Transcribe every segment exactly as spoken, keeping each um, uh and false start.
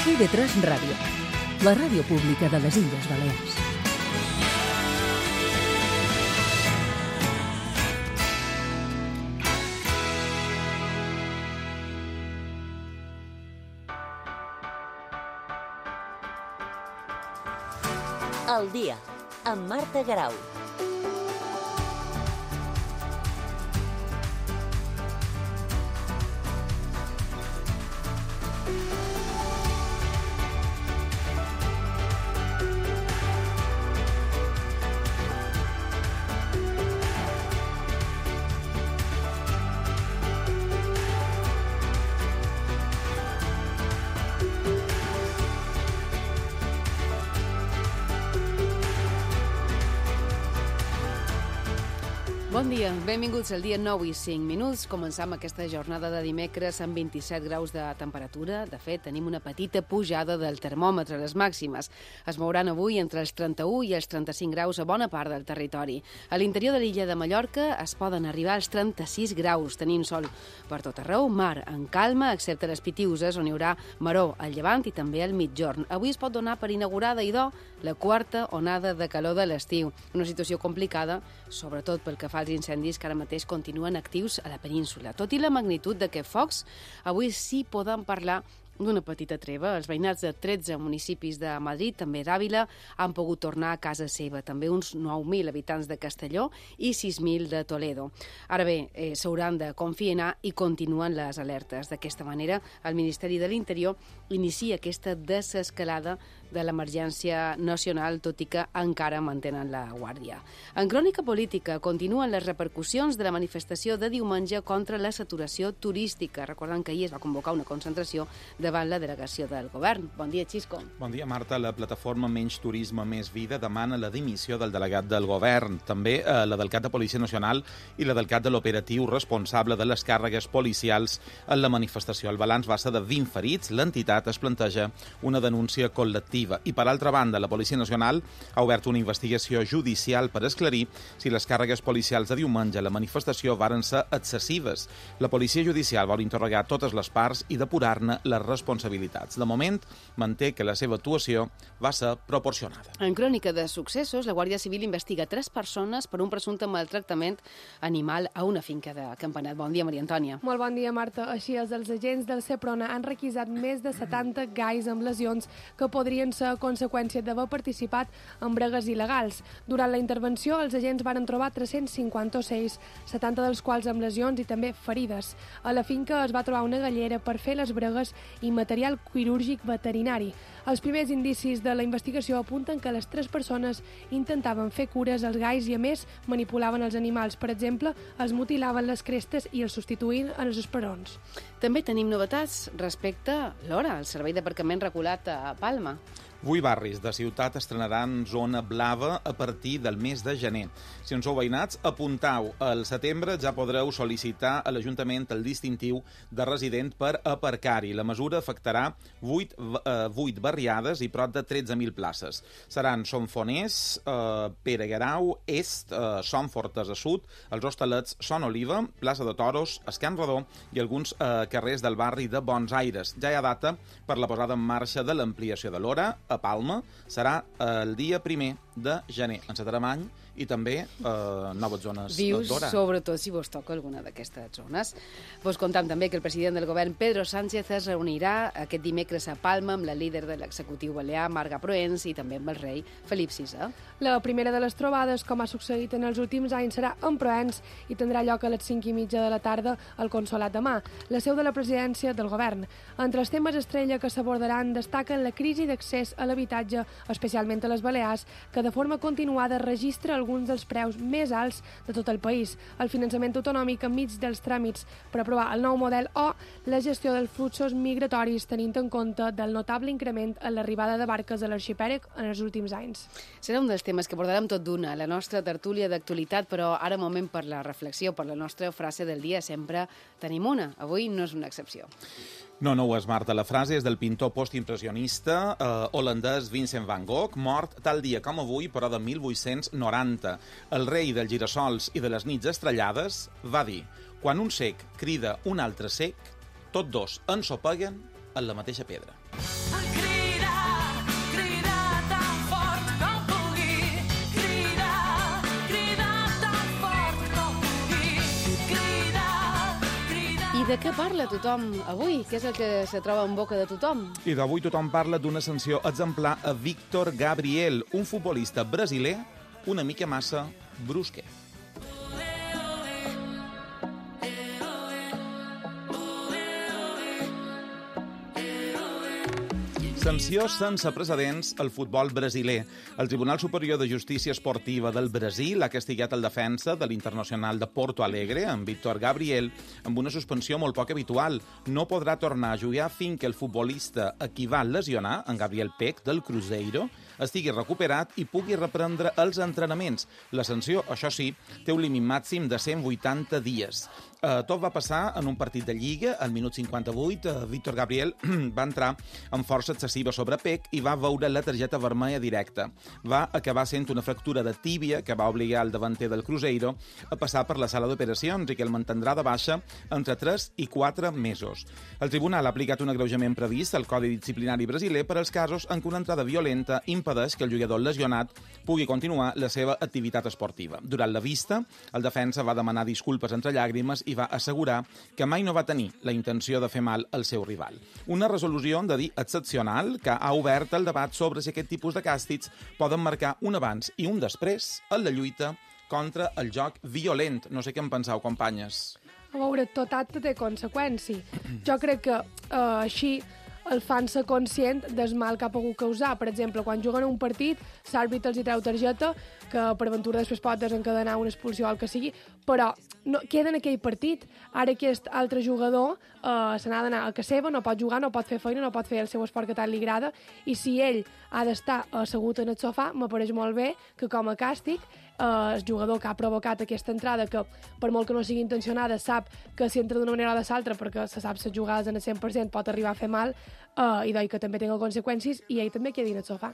I V tres Ràdio, la ràdio pública de les Illes Balears. El dia, amb Marta Garau. Bon dia, benvinguts al dia nou i cinc minuts. Començam aquesta jornada de dimecres amb vint-i-set graus de temperatura. De fet, tenim una petita pujada del termòmetre a les màximes. Es mouran avui entre els trenta-u i els trenta-cinc graus a bona part del territori. A l'interior de l'illa de Mallorca es poden arribar als trenta-sis graus. Tenim sol per tot arreu, mar en calma, excepte les Pitiuses, on hi haurà maror al llevant i també al mitjorn. Avui es pot donar per inaugurada, idò, la quarta onada de calor de l'estiu. Una situació complicada, sobretot pel que fa als incendis que ara mateix continuen actius a la península. Tot i la magnitud d'aquests focs, avui sí podem parlar d'una petita treva. Els veïnats de tretze municipis de Madrid, també d'Àvila, han pogut tornar a casa seva. També uns nou mil habitants de Castelló i sis mil de Toledo. Ara bé, eh, s'hauran de confinar i continuen les alertes. D'aquesta manera, el Ministeri de l'Interior inicia aquesta desescalada de l'emergència nacional, tot i que encara mantenen la guàrdia. En crònica política continuen les repercussions de la manifestació de diumenge contra la saturació turística. Recordem que ahir es va convocar una concentració davant la delegació del govern. Bon dia, Xisco. Bon dia, Marta. La plataforma Menys Turisme, Més Vida demana la dimissió del delegat del govern, també eh, la del cap de Policia Nacional i la del cap de l'operatiu responsable de les càrregues policials en la manifestació. El balanç va ser de vint ferits. L'entitat es planteja una denúncia col·lectiva. I, per altra banda, la Policia Nacional ha obert una investigació judicial per esclarir si les càrregues policials de diumenge a la manifestació varen ser excessives. La Policia Judicial vol interrogar totes les parts i depurar-ne les responsabilitats. De moment, manté que la seva actuació va ser proporcionada. En crònica de successos, la Guàrdia Civil investiga tres persones per un presumpte maltractament animal a una finca de Campanet. Bon dia, Maria Antònia. Molt bon dia, Marta. Així és, els agents del Seprona han requisat més de setanta gais amb lesions que podrien ser a conseqüència d'haver participat en bregues il·legals. Durant la intervenció, els agents varen trobar tres-cents cinquanta ocells, setanta dels quals amb lesions i també ferides. A la finca es va trobar una gallera per fer les bregues i material quirúrgic veterinari. Els primers indicis de la investigació apunten que les tres persones intentaven fer cures als gais i, a més, manipulaven els animals. Per exemple, els mutilaven les crestes i els substituïen en els esperons. També tenim novetats respecte a l'hora, el servei d'aparcament regulat a Palma. Vuit barris de ciutat estrenaran zona blava a partir del mes de gener. Si en sou veïnats, apuntau. Al setembre ja podreu sol·licitar a l'Ajuntament el distintiu de resident per aparcar-hi. La mesura afectarà vuit, eh, vuit barriades i prop de tretze mil places. Seran Som Foners, eh, Pere Guerau, Est, eh, Som Fortes a Sud, els Hostalets Son Oliva, Plaça de Toros, Escan Redó i alguns eh, carrers del barri de Bons Aires. Ja hi ha data per la posada en marxa de l'ampliació de l'hora a Palma. Serà el dia primer de gener. Encetarem any i també eh, noves zones Vius, d'hora. sobretot si vos toca alguna d'aquestes zones. Vos contam també que el president del govern, Pedro Sánchez, es reunirà aquest dimecres a Palma amb la líder de l'executiu balear, Marga Proens, i també amb el rei Felip sisè. La primera de les trobades, com ha succeït en els últims anys, serà en Proens i tindrà lloc a les cinc i mitja de la tarda al Consolat de Mar, la seu de la presidència del govern. Entre els temes estrella que s'abordaran destaquen la crisi d'accés a l'habitatge, especialment a les Balears, que de forma continuada registra alguns dels preus més alts de tot el país, el finançament autonòmic enmig dels tràmits per aprovar el nou model o la gestió dels fluxos migratoris tenint en compte del notable increment en l'arribada de barques a l'arxipèlag en els últims anys. Serà un dels temes que abordarem tot d'una, la nostra tertúlia d'actualitat, però ara moment per la reflexió, per la nostra frase del dia, sempre tenim una. Avui no és una excepció. No, no ho és, Marta. La frase és del pintor postimpressionista eh, holandès Vincent van Gogh, mort tal dia com avui, però de mil vuit-cents noranta. El rei dels girassols i de les nits estrellades va dir: quan un cec crida un altre cec, tots dos ensopeguen en la mateixa pedra. de què parla tothom avui? Què és el que se troba en boca de tothom? I d'avui tothom parla d'una sanció exemplar a Víctor Gabriel, un futbolista brasiler una mica massa brusquer. Sanció sense precedents al futbol brasiler. El Tribunal Superior de Justícia Esportiva del Brasil ha castigat el defensa de l'Internacional de Porto Alegre, en Víctor Gabriel, amb una suspensió molt poc habitual. No podrà tornar a jugar fins que el futbolista a qui va lesionar, en Gabriel Peck, del Cruzeiro, estigui recuperat i pugui reprendre els entrenaments. La sanció, això sí, té un límit màxim de cent vuitanta dies. Uh, tot va passar en un partit de Lliga, al minut cinquanta-vuit. Uh, Víctor Gabriel va entrar amb força excessiva sobre Peck i va veure la targeta vermella directa. Va acabar sent una fractura de tíbia que va obligar el davanter del Cruzeiro a passar per la sala d'operacions i que el mantindrà de baixa entre tres i quatre mesos. El tribunal ha aplicat un agreujament previst al Codi Disciplinari brasiler per als casos en què una entrada violenta impedeix que el jugador lesionat pugui continuar la seva activitat esportiva. Durant la vista, el defensa va demanar disculpes entre llàgrimes i va assegurar que mai no va tenir la intenció de fer mal al seu rival. Una resolució, hem de dir, excepcional, que ha obert el debat sobre si aquest tipus de càstigs poden marcar un abans i un després en la lluita contra el joc violent. No sé què en penseu, companyes. A veure, tot acte té conseqüència. Jo crec que uh, així el fan ser conscient del mal que ha pogut causar. Per exemple, quan juguen un partit, l'àrbitre els hi treu targeta, que per aventura després pot desencadenar una expulsió o el que sigui, però no, queda en aquell partit. Ara aquest altre jugador eh, se n'ha d'anar a casa seva, no pot jugar, no pot fer feina, no pot fer el seu esport que tant li agrada, i si ell ha d'estar assegut en el sofà, m'apareix molt bé que com a càstig eh, el jugador que ha provocat aquesta entrada, que per molt que no sigui intencionada, sap que si entra d'una manera o de l'altra, perquè se sap les jugades en el cent per cent pot arribar a fer mal, eh, i d'oi que també tenga conseqüències, i ell també quedi en el sofà.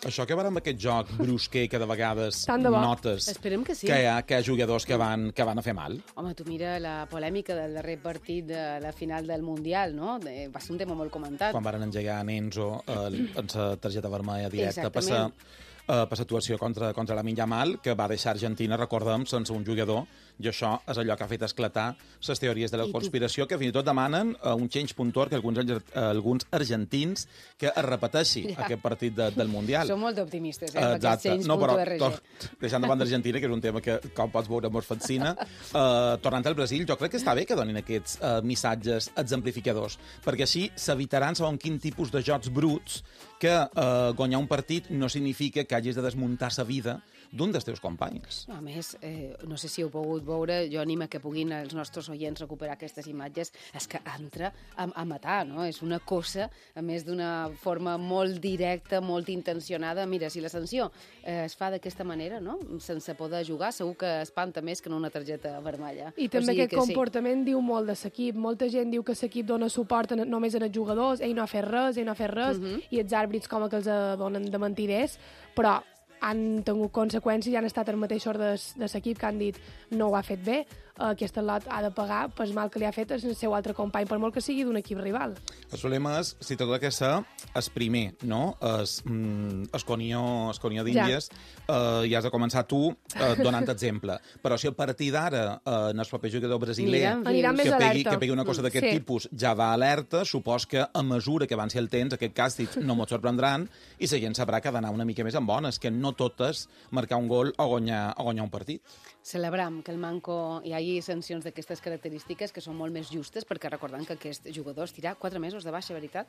Això que va amb aquest joc brusquer que de vegades notes Esperem que sí. que hi ha, que hi ha jugadors que van, que van a fer mal. Home, tu mira la polèmica del darrer partit de la final del Mundial, no? De, va ser un tema molt comentat. Quan van engegar a Enzo eh, amb la targeta vermella directa per la uh, situació contra, contra la Yamal, que va deixar Argentina, recordem, sense un jugador, i això és allò que ha fet esclatar les teories de la conspiració, que fins i tot demanen uh, un change punt org que alguns, uh, alguns argentins que es repeteixi ja. aquest partit de, del Mundial. Som molt optimistes, eh, uh, amb aquest change punt org. No, però deixant de banda d'Argentina, que és un tema que, com pots veure, mos fascina, uh, tornant al Brasil, jo crec que està bé que donin aquests uh, missatges exemplificadors, perquè així s'evitaran segons quin tipus de jocs bruts que uh, guanyar un partit no significa que hagis de desmuntar sa vida d'un dels teus companys. A més, eh, no sé si heu pogut veure, jo animo que puguin els nostres oients recuperar aquestes imatges, és que entra a, a matar, no? És una cosa, a més d'una forma molt directa, molt intencionada. Mira, si la sanció eh, es fa d'aquesta manera, no? Sense poder jugar, segur que espanta més que en una targeta vermella. I també o sigui aquest comportament sí. diu molt de l'equip. Molta gent diu que l'equip dona suport en, només en els jugadors, ell no ha fet res, ell no ha fet res, uh -huh. i els àrbitres com que els donen de mentiders, però han tingut conseqüències i han estat els mateixos de, de l'equip que han dit no ho ha fet bé, aquest lot ha de pagar pel mal que li ha fet el seu altre company, per molt que sigui d'un equip rival. El problema és, si tot el que ser, és primer, no? Es, mm, es conió, es conió d'Índies, ja. Eh, i has de començar tu eh, donant exemple. Però si a partir d'ara eh, en el proper jugador brasiler que pegui, que pegui una cosa d'aquest sí. tipus ja va alerta, supos que a mesura que avanci el temps, aquest càstig no mos sorprendran i la gent sabrà que ha d'anar una mica més en bones, que no tot és marcar un gol o guanyar, o guanyar un partit. Celebram que el Manco hi hagi sancions d'aquestes característiques que són molt més justes, perquè recordant que aquest jugador es tira quatre mesos de baixa, veritat?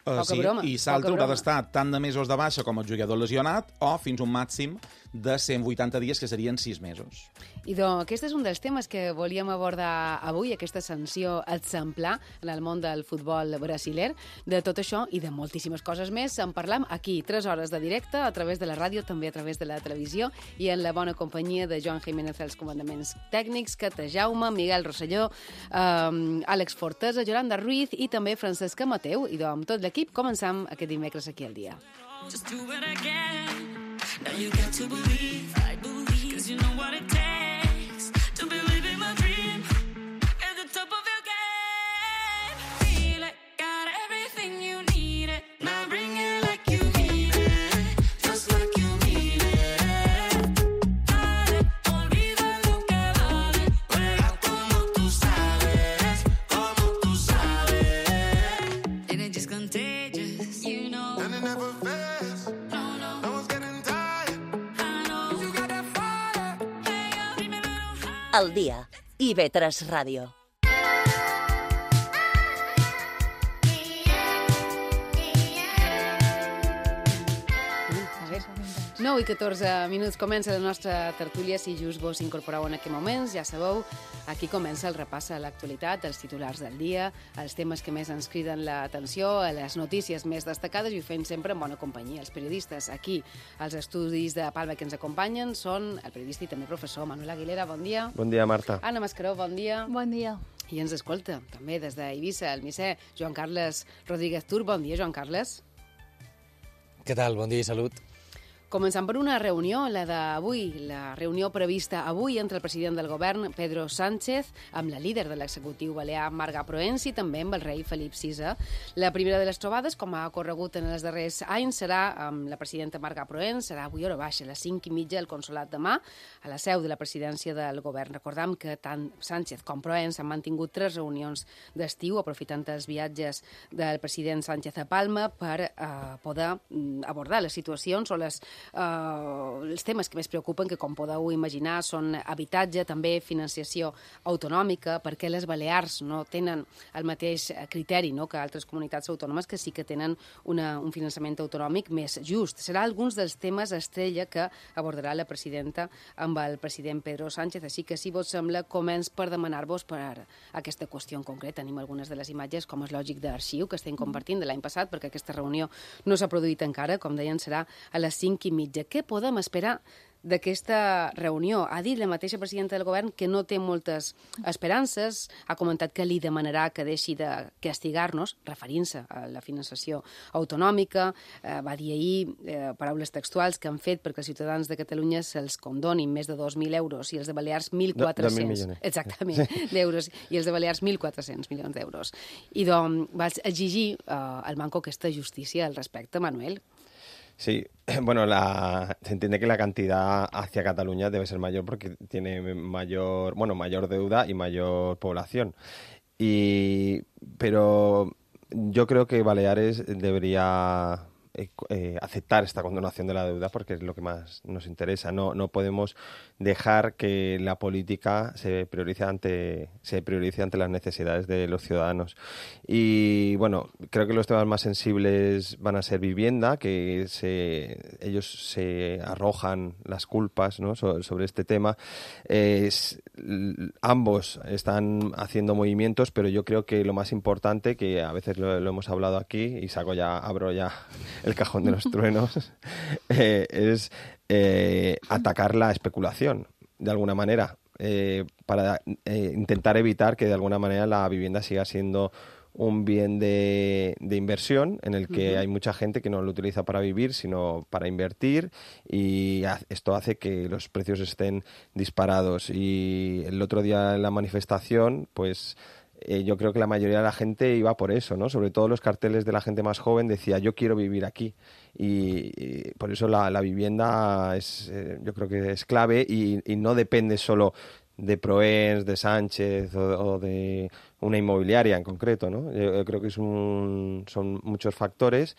Uh, poca sí, broma. I l'altre haurà d'estar tant de mesos de baixa com el jugador lesionat o fins un màxim de cent vuitanta dies, que serien sis mesos. I doncs, aquest és un dels temes que volíem abordar avui, aquesta sanció exemplar en el món del futbol brasiler. De tot això i de moltíssimes coses més en parlam aquí, tres hores de directe, a través de la ràdio, també a través de la televisió, i en la bona companyia de Joan Jiménez als comandaments tècnics, Cata Jaume, Miguel Rosselló, eh, Àlex Fortesa, Yolanda Ruiz i també Francesca Mateu. I doncs, amb tot l'equip començam aquest dimecres aquí al dia. Just do it again. Now you got to believe, I believe, 'cause you know what it takes to believe in my dream. At the top of your game. Feel it, got everything you need it. Now bring it like you need it. Just like you need it. Dale, olvida lo que vale. Juega como tú sabes. Como al dia. I ve tres Ràdio. nou i catorze minuts comença la nostra tertúlia. Si just vos incorporeu en aquest moment, ja sabeu, aquí comença el repàs a l'actualitat, els titulars del dia, els temes que més ens criden l'atenció, les notícies més destacades, i ho fem sempre en bona companyia. Els periodistes aquí, als estudis de Palma que ens acompanyen, són el periodista i també professor Manuel Aguilera, bon dia. Bon dia, Marta. Anna Mascaró, bon dia. Bon dia. I ens escolta, també des d'Eivissa, el misser Joan Carles Rodríguez Tur. Bon dia, Joan Carles. Què tal? Bon dia i salut. Començant per una reunió, la d'avui, la reunió prevista avui entre el president del govern, Pedro Sánchez, amb la líder de l'executiu balear, Marga Proens, i també amb el rei Felip sisè. La primera de les trobades, com ha corregut en els darrers anys, serà amb la presidenta Marga Proens, serà avui a hora baixa, a les cinc i mitja, al Consolat de Mar, a la seu de la presidència del govern. Recordam que tant Sánchez com Proens han mantingut tres reunions d'estiu, aprofitant els viatges del president Sánchez a Palma per eh, poder abordar les situacions o les Uh, els temes que més preocupen, que com podeu imaginar són habitatge, també financiació autonòmica, perquè les Balears no tenen el mateix criteri, no?, que altres comunitats autònomes que sí que tenen una, un finançament autonòmic més just. Serà alguns dels temes estrella que abordarà la presidenta amb el president Pedro Sánchez, així que, si vos sembla, començ per demanar-vos per aquesta qüestió en concret. Tenim algunes de les imatges, com és lògic, d'arxiu que estem compartint de l'any passat, perquè aquesta reunió no s'ha produït encara, com deien, serà a les cinc i mitja. Què podem esperar d'aquesta reunió? Ha dit la mateixa presidenta del govern que no té moltes esperances, ha comentat que li demanarà que deixi de castigar-nos, referint-se a la finançació autonòmica, eh, va dir ahir, eh, paraules textuals, que han fet perquè els ciutadans de Catalunya se'ls condonin més de dos mil euros i els de Balears mil quatre-cents. Exactament, sí. d'euros, i els de Balears mil quatre-cents milions d'euros. I doncs va exigir eh, al Banco aquesta justícia al respecte, Manuel. Sí, bueno, la, se entiende que la cantidad hacia Cataluña debe ser mayor porque tiene mayor, bueno, mayor deuda y mayor población. Y, pero yo creo que Baleares debería eh, eh, aceptar esta condonación de la deuda porque es lo que más nos interesa. No, no podemos dejar que la política se priorice ante se priorice ante las necesidades de los ciudadanos. Y bueno, creo que los temas más sensibles van a ser vivienda, que se, ellos se arrojan las culpas, ¿no?, so, sobre este tema. Eh, es, ambos están haciendo movimientos, pero yo creo que lo más importante, que a veces lo, lo hemos hablado aquí, y saco ya, abro ya el cajón de los truenos, eh, es eh, atacar la especulación, de alguna manera, eh, para eh, intentar evitar que de alguna manera la vivienda siga siendo un bien de, de inversión en el que uh-huh. hay mucha gente que no lo utiliza para vivir, sino para invertir, y esto hace que los precios estén disparados. Y el otro día en la manifestación, pues eh, yo creo que la mayoría de la gente iba por eso, ¿no? Sobre todo los carteles de la gente más joven decía, yo quiero vivir aquí. Y, y por eso la, la vivienda es, eh, yo creo que es clave, y, y no depende solo de Proens, de Sánchez o, o de una inmobiliaria en concreto, ¿no? Yo, yo creo que es un, son muchos factores,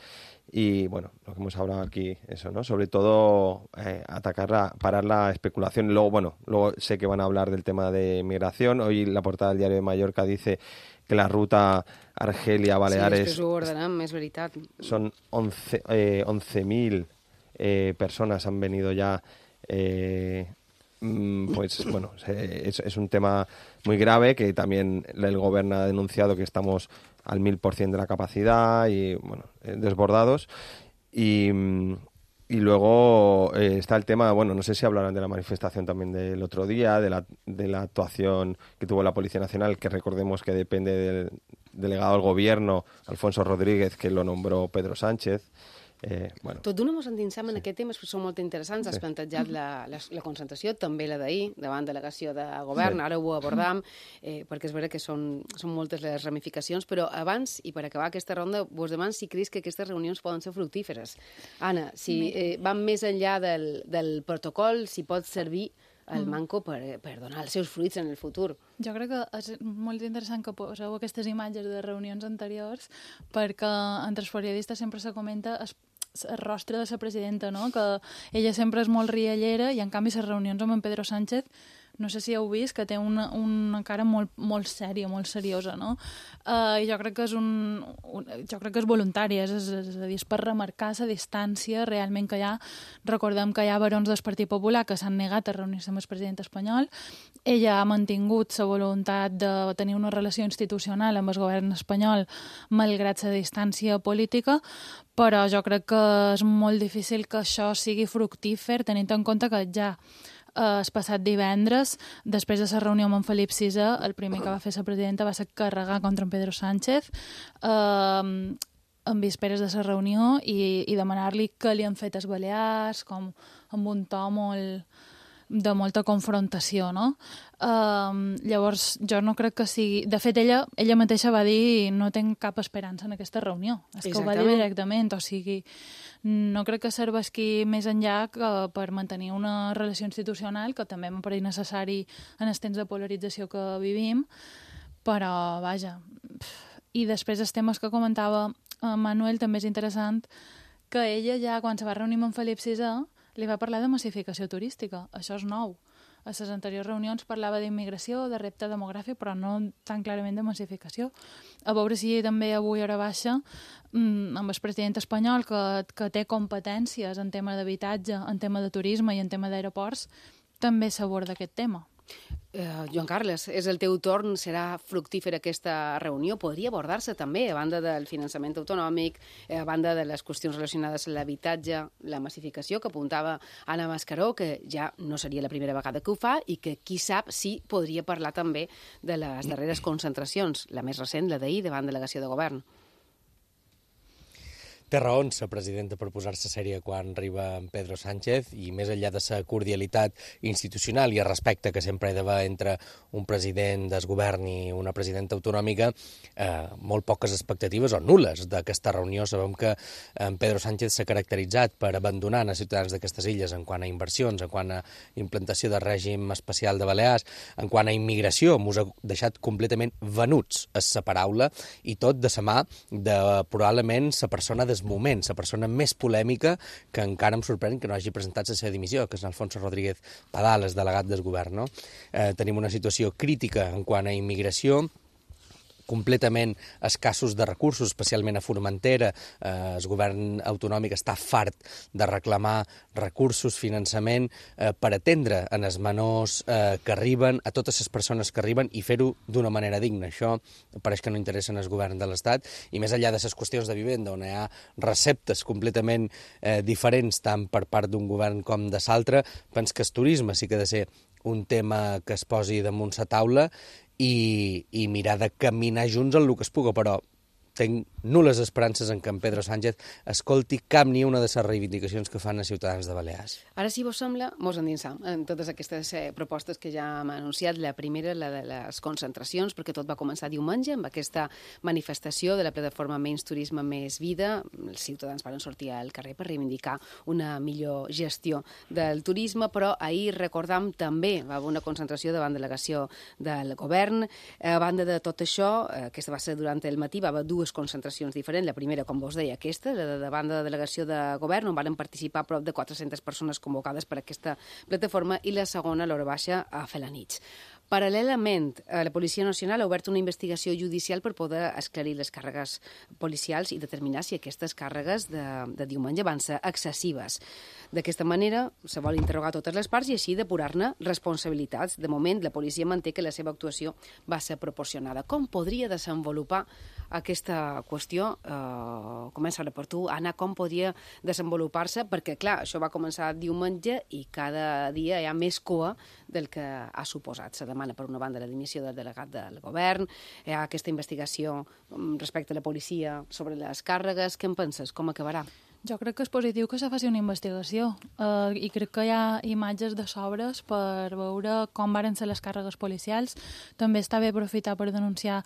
y bueno, lo que hemos hablado aquí, eso, ¿no? Sobre todo eh, atacar, la, parar la especulación. Luego, bueno, luego sé que van a hablar del tema de migración. Hoy la portada del Diario de Mallorca dice que la ruta Argelia-Baleares... Sí, després ho ordenem, és veritat. Son once mil eh, personas han venido ya... Eh, pues bueno, es, es un tema muy grave, que también el gobierno ha denunciado que estamos al mil por ciento de la capacidad y, bueno, desbordados. Y, y luego eh, está el tema, bueno, no sé si hablarán de la manifestación también del otro día, de la, de la actuación que tuvo la Policía Nacional, que recordemos que depende del delegado del gobierno, Alfonso Rodríguez, que lo nombró Pedro Sánchez. Eh, bueno. Tot d'una mos endinsem sí. en aquest tema, són molt interessants. Sí. Has plantejat la, la, la concentració, també la d'ahir, davant delegació de govern, sí. Ara ho abordam, eh, perquè és vera que són, són moltes les ramificacions, però abans, i per acabar aquesta ronda, vos demano si creus que aquestes reunions poden ser fructíferes. Anna, si eh, van més enllà del, del protocol, si pot servir el Manco per, per donar els seus fruits en el futur. Jo crec que és molt interessant que poseu aquestes imatges de reunions anteriors, perquè entre els periodistes sempre se comenta el, el rostre de la presidenta, no? Que ella sempre és molt riallera, i en canvi les reunions amb en Pedro Sánchez no sé si heu vist, que té una, una cara molt, molt sèria, molt seriosa, no? Uh, I jo crec que és un, un jo crec que és voluntari, és, és, és a dir, és per remarcar la distància realment que hi ha. Recordem que hi ha barons del Partit Popular que s'han negat a reunir-se amb el president espanyol. Ella ha mantingut la voluntat de tenir una relació institucional amb el govern espanyol malgrat la distància política, però jo crec que és molt difícil que això sigui fructífer, tenint en compte que ja eh, el passat divendres, després de la reunió amb en Felip sisè, el primer que va fer la presidenta va ser carregar contra en Pedro Sánchez eh, en vísperes de la reunió i, i demanar-li què li han fet els Balears, com amb un to molt de molta confrontació, no? Uh, llavors, jo no crec que sigui... De fet, ella, ella mateixa va dir no tinc cap esperança en aquesta reunió. És que ho va dir directament, o sigui, no crec que serveixi més enllà que per mantenir una relació institucional, que també m'apareix necessari en els temps de polarització que vivim, però, vaja... I després els temes que comentava Manuel, també és interessant que ella ja, quan se va reunir amb en Felip sisè, li va parlar de massificació turística. Això és nou. A les anteriors reunions parlava d'immigració, de repte demogràfic, però no tan clarament de massificació. A veure si també avui hora baixa, amb el president espanyol, que, que té competències en tema d'habitatge, en tema de turisme i en tema d'aeroports, també s'aborda aquest tema. Uh, Joan Carles, és el teu torn, serà fructífera aquesta reunió? Podria abordar-se també, a banda del finançament autonòmic, a banda de les qüestions relacionades amb l'habitatge, la massificació, que apuntava Anna Mascaró, que ja no seria la primera vegada que ho fa i que, qui sap, sí podria parlar també de les darreres concentracions, la més recent, la d'ahir, davant delegació de govern. Té raons la presidenta per posar-se sèria quan arriba en Pedro Sánchez i més enllà de la cordialitat institucional i el respecte que sempre hi ha d'haver entre un president del govern i una presidenta autonòmica, eh, molt poques expectatives o nules d'aquesta reunió. Sabem que en Pedro Sánchez s'ha caracteritzat per abandonar els ciutadans d'aquestes illes en quant a inversions, en quant a implantació de règim especial de Balears, en quant a immigració, mos ha deixat completament venuts, és la paraula, i tot de la mà de probablement la persona des moment, la persona més polèmica que encara em sorprèn que no hagi presentat la seva dimissió, que és Alfonso Rodríguez Padales, delegat del govern. No? Eh, tenim una situació crítica en quant a immigració, completament escassos de recursos, especialment a Formentera. Eh, el govern autonòmic està fart de reclamar recursos, finançament, eh, per atendre en els menors eh, que arriben, a totes les persones que arriben i fer-ho d'una manera digna. Això pareix que no interessa al govern de l'Estat i més enllà de les qüestions de vivenda, on hi ha receptes completament eh, diferents tant per part d'un govern com de l'altre, penso que el turisme sí que ha de ser un tema que es posi damunt la taula i, i mirar de caminar junts en el que es puga, però tinc nul·les esperances en que en Pedro Sánchez escolti cap ni una de les reivindicacions que fan els ciutadans de Balears. Ara, si vos sembla, mos endinsam en totes aquestes eh, propostes que ja hem anunciat. La primera, la de les concentracions, perquè tot va començar diumenge amb aquesta manifestació de la plataforma Menys Turisme, Més Vida. Els ciutadans van sortir al carrer per reivindicar una millor gestió del turisme, però ahir, recordam, també va haver una concentració davant delegació del govern. A banda de tot això, eh, aquesta va ser durant el matí, va haver dues concentracions diferents. La primera, com vos deia, aquesta, la de davant de la delegació de govern, on van participar prop de quatre-centes persones convocades per aquesta plataforma, i la segona, a l'hora baixa, a Felanitx. Paral·lelament, la Policia Nacional ha obert una investigació judicial per poder esclarir les càrregues policials i determinar si aquestes càrregues de, de diumenge van ser excessives. D'aquesta manera, se vol interrogar totes les parts i així depurar-ne responsabilitats. De moment, la policia manté que la seva actuació va ser proporcionada. Com podria desenvolupar aquesta qüestió? Eh, comença ara per tu, Anna, com podria desenvolupar-se? Perquè, clar, això va començar diumenge i cada dia hi ha més cua del que ha suposat. Se demana, per una banda, la dimissió del delegat del govern, hi ha aquesta investigació respecte a la policia sobre les càrregues. Què en penses? Com acabarà? Jo crec que és positiu que se faci una investigació uh, i crec que hi ha imatges de sobres per veure com varen ser les càrregues policials. També està bé aprofitar per denunciar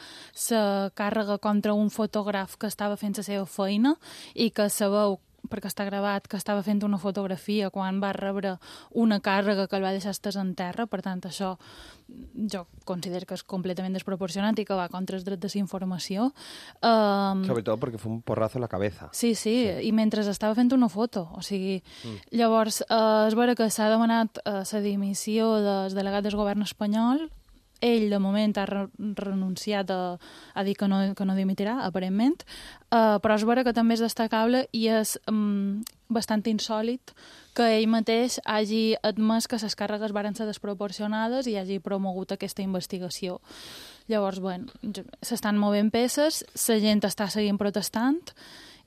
la càrrega contra un fotògraf que estava fent la seva feina i que sabeu perquè està gravat que estava fent una fotografia quan va rebre una càrrega que el va deixar estès en terra, per tant, això jo considero que és completament desproporcionat i que va contra els drets de la informació. Um, Sobretot perquè fa un porrazo a la cabeza. Sí, sí, sí, i mentre estava fent una foto, o sigui, mm. llavors uh, és vera que s'ha demanat uh, la dimissió del delegat del govern espanyol. Ell, de moment, ha re renunciat a, a dir que no, que no dimitirà, aparentment, uh, però és vera que també és destacable i és um, bastant insòlit que ell mateix hagi admès que les càrregues varen ser desproporcionades i hagi promogut aquesta investigació. Llavors, bueno, s'estan movent peces, la gent està seguint protestant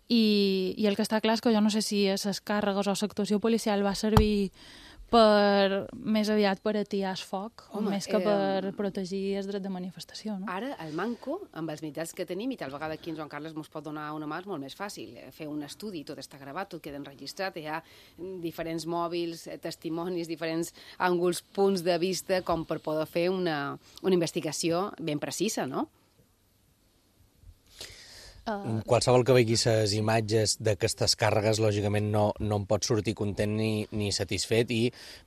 i, i el que està clar és que jo no sé si les càrregues o l'actuació policial va servir per, més aviat per atiar el foc, Home, més que per eh, protegir el dret de manifestació. No? Ara, el manco, amb els mitjans que tenim, i tal vegada aquí en Joan Carles ens pot donar una mà, és molt més fàcil. Fer un estudi, tot està gravat, tot queda enregistrat, hi ha diferents mòbils, testimonis, diferents ànguls, punts de vista, com per poder fer una, una investigació ben precisa, no? Uh... Qualsevol que vegi les imatges d'aquestes càrregues, lògicament no, no en pot sortir content ni, ni satisfet i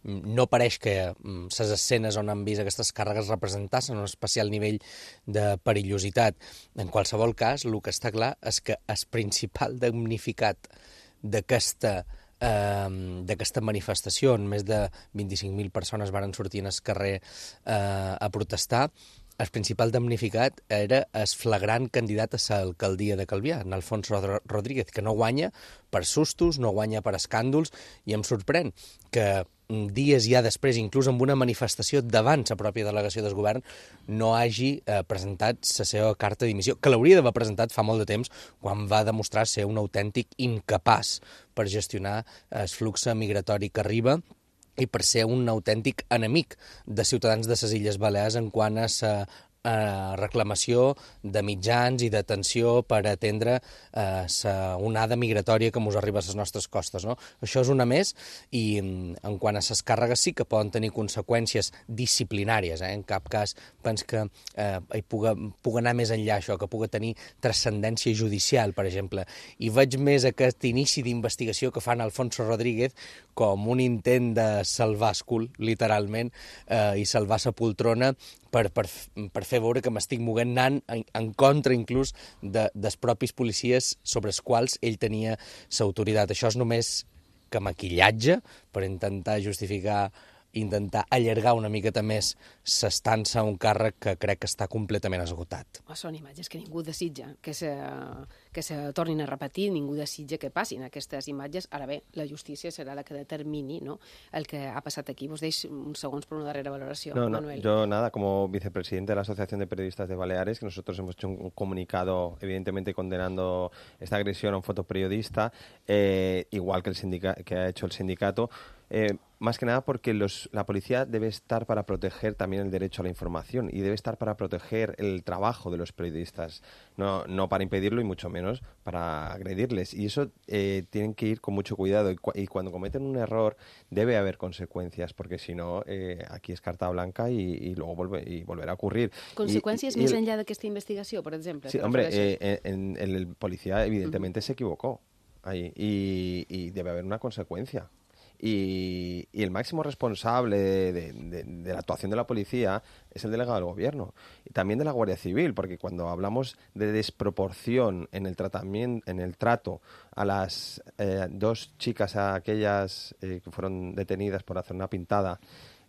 no pareix que les escenes on han vist aquestes càrregues representassin un especial nivell de perillositat. En qualsevol cas, el que està clar és que el principal damnificat d'aquesta eh, d'aquesta manifestació, on més de vint-i-cinc mil persones varen sortir en el carrer eh, a protestar, el principal damnificat era el flagrant candidat a l'alcaldia de Calvià, en Alfonso Rodríguez, que no guanya per sustos, no guanya per escàndols, i em sorprèn que dies ja després, inclús amb una manifestació davant la pròpia delegació del govern, no hagi eh, presentat la seva carta de dimissió, que l'hauria d'haver presentat fa molt de temps, quan va demostrar ser un autèntic incapaç per gestionar el flux migratori que arriba i per ser un autèntic enemic de ciutadans de les Illes Balears en quant a la eh, reclamació de mitjans i d'atenció per atendre eh, la onada migratòria que ens arriba a les nostres costes. No? Això és una més i en quant a les càrregues sí que poden tenir conseqüències disciplinàries. Eh? En cap cas pens que eh, hi puga, puga anar més enllà això, que puga tenir transcendència judicial, per exemple. I veig més aquest inici d'investigació que fan Alfonso Rodríguez com un intent de salvar escul, literalment, eh, i salvar sa poltrona per, per, per fer veure que m'estic moguent anant en, en contra inclús de, dels propis policies sobre els quals ell tenia l'autoritat. Això és només que maquillatge per intentar justificar, intentar allargar una miqueta més s'estança a un càrrec que crec que està completament esgotat. Oh, són imatges que ningú desitja que se, que se tornin a repetir, ningú desitja que passin aquestes imatges. Ara bé, la justícia serà la que determini, ¿no?, el que ha passat aquí. Vos deix uns segons per una darrera valoració, no, no, Manuel. Yo nada, como vicepresidente de la Asociación de Periodistas de Baleares, que nosotros hemos hecho un comunicado evidentemente condenando esta agresión a un fotoperiodista, eh, igual que, el sindica que ha hecho el sindicato, eh, más que nada porque los, la policía debe estar para proteger también el derecho a la información y debe estar para proteger el trabajo de los periodistas, no, no para impedirlo y mucho menos para agredirles. Y eso eh, tienen que ir con mucho cuidado y, cu y cuando cometen un error debe haber consecuencias, porque si no, eh, aquí es carta blanca y, y luego vuelve, y volverá a ocurrir. Conseqüències y, y, més el... enllà d'aquesta investigació, per exemple? Sí, hombre, eh, en, en el policía evidentemente uh-huh. se equivocó ahí y, y debe haber una consecuencia. Y, y el máximo responsable de, de, de, de la actuación de la policía es el delegado del gobierno y también de la Guardia Civil, porque cuando hablamos de desproporción en el tratamiento, en el trato a las eh, dos chicas, a aquellas eh, que fueron detenidas por hacer una pintada,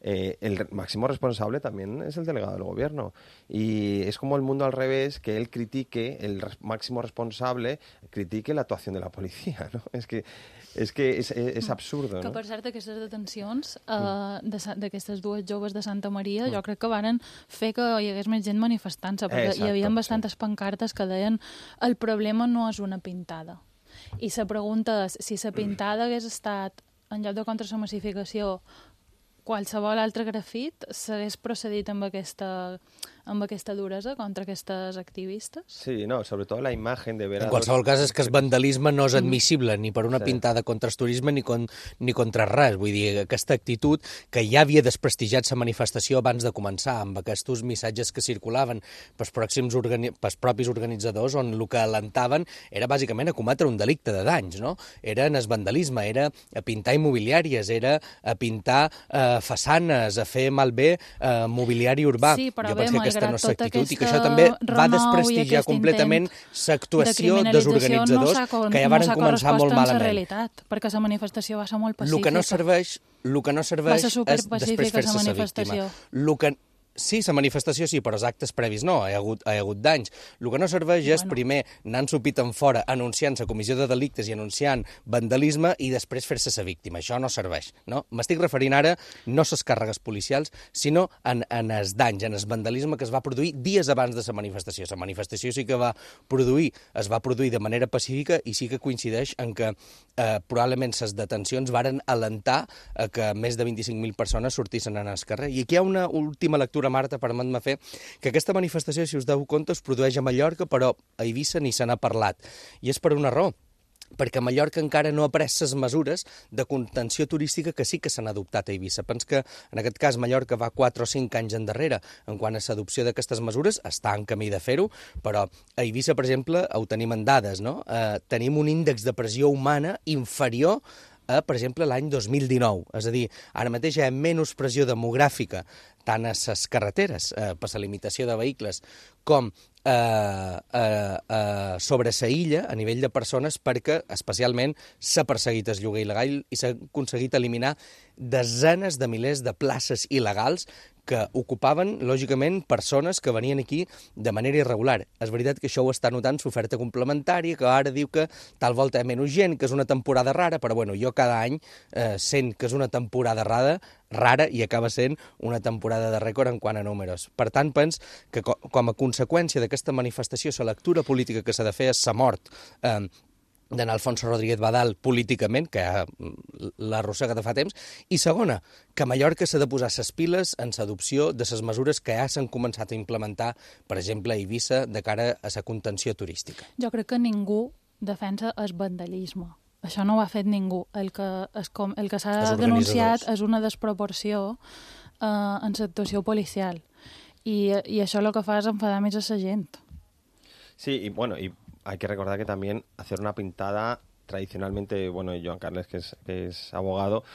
Eh, el máximo responsable también es el delegado del gobierno. Y es como el mundo al revés, que él critique, el res máximo responsable critique la actuación de la policía, ¿no? Es que és que és, és absurdo, que, no? Que, per cert, aquestes detencions eh, d'aquestes dues joves de Santa Maria, mm. jo crec que varen fer que hi hagués més gent manifestant-se, perquè Exacto, hi havia bastantes sí. pancartes que deien el problema no és una pintada. I la pregunta és, si la pintada hagués estat, en lloc de contra la massificació, qualsevol altre grafit, s'hagués procedit amb aquesta, amb aquesta duresa contra aquestes activistes? Sí, no, sobre todo la imagen de ver a En qualsevol dos... cas és que el vandalisme no és admissible ni per una Sí. pintada contra el turisme ni, con, ni contra res. Vull dir, aquesta actitud que ja havia desprestigiat la manifestació abans de començar, amb aquests missatges que circulaven pels, pròxims organi pels propis organitzadors, on el que alentaven era bàsicament a cometre un delicte de danys, no? Era en el vandalisme, era a pintar immobiliàries, era a pintar eh, façanes, a fer malbé eh, mobiliari urbà. Sí, però jo bé, penso que aquesta no és malgrat tota l'actitud i que aquesta això també va renou i desprestigiar aquest completament intent l'actuació de dels criminalització organitzadors no s'ha- que ja varen no s'ha començar molt correspost amb la malament. realitat, perquè la manifestació va ser molt pacífica. El que no serveix, el que no serveix Va ser és superpacífica, després fer-se la sa manifestació. víctima. El que... Sí, la manifestació sí, però els actes previs no, hi ha hagut, hi ha hagut danys. El que no serveix bueno. és primer anar ensupit en fora, anunciant la comissió de delictes i anunciant vandalisme i després fer-se sa víctima. Això no serveix. No? M'estic referint ara no a les càrregues policials, sinó en, en els danys, en el vandalisme que es va produir dies abans de la manifestació. La manifestació sí que va produir, es va produir de manera pacífica i sí que coincideix en que eh, probablement les detencions varen alentar a que més de vint-i-cinc mil persones sortissin al carrer. I aquí hi ha una última lectura, Marta, permet-me fer, que aquesta manifestació, si us deu compte, es produeix a Mallorca, però a Eivissa ni se n'ha parlat. I és per una raó, perquè Mallorca encara no ha pres les mesures de contenció turística que sí que s'han adoptat a Eivissa. Pens que, en aquest cas, Mallorca va quatre o cinc anys endarrere en quant a l'adopció d'aquestes mesures, està en camí de fer-ho, però a Eivissa, per exemple, ho tenim en dades, no? Eh, tenim un índex de pressió humana inferior a, per exemple, l'any dos mil dinou. És a dir, ara mateix hi ha menys pressió demogràfica tant a les carreteres, eh, per la limitació de vehicles, com eh, eh, eh, sobre la illa a nivell de persones, perquè especialment s'ha perseguit el lloguer il·legal i s'ha aconseguit eliminar desenes de milers de places il·legals que ocupaven, lògicament, persones que venien aquí de manera irregular. És veritat que això ho està notant l'oferta complementària, que ara diu que tal volta hi ha menys gent, que és una temporada rara, però bueno, jo cada any eh, sent que és una temporada rara, rara i acaba sent una temporada de rècord en quant a números. Per tant, pens que co com a conseqüència d'aquesta manifestació, la lectura política que s'ha de fer és la mort eh, d'en Alfonso Rodríguez Badal políticament, que l'arrossega de fa temps, i segona, que Mallorca s'ha de posar ses piles en l'adopció de les mesures que ja s'han començat a implementar, per exemple, a Eivissa, de cara a la contenció turística. Jo crec que ningú defensa el vandalisme. Això no ho ha fet ningú. El que, es com, el que s'ha denunciat és una desproporció eh, en l'actuació policial. I, I això el que fa és enfadar més a la gent. Sí, y bueno, y hay que recordar que también hacer una pintada tradicionalmente, bueno, Joan Carles, que es, que es abogado,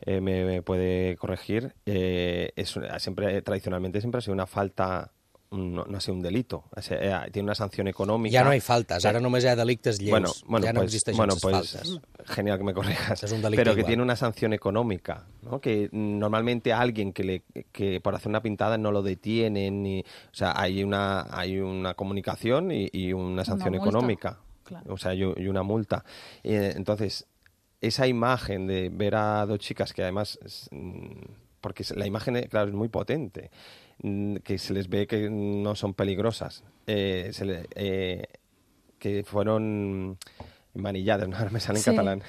eh, me, me puede corregir, eh, es siempre tradicionalmente siempre ha sido una falta, no, no ha sido un delito, o sea, tiene una sanción económica. Ya no hay faltas, ahora només hi ha delictes lleus, bueno, bueno, ya no pues, existeixen bueno, les pues, faltes. Genial que me corrijas, es un delicte pero que igual. tiene una sanción económica, ¿no? Que normalmente alguien que le que por hacer una pintada no lo detienen, ni, o sea, hay una hay una comunicación y, y una sanción una económica, claro. O sea, y, y una multa. Eh, entonces, esa imagen de ver a dos chicas que además, porque la imagen, claro, es muy potente, que se les ve que no son peligrosas, eh, se le, eh, que fueron manilladas, no, ahora me sale en Sí. catalán,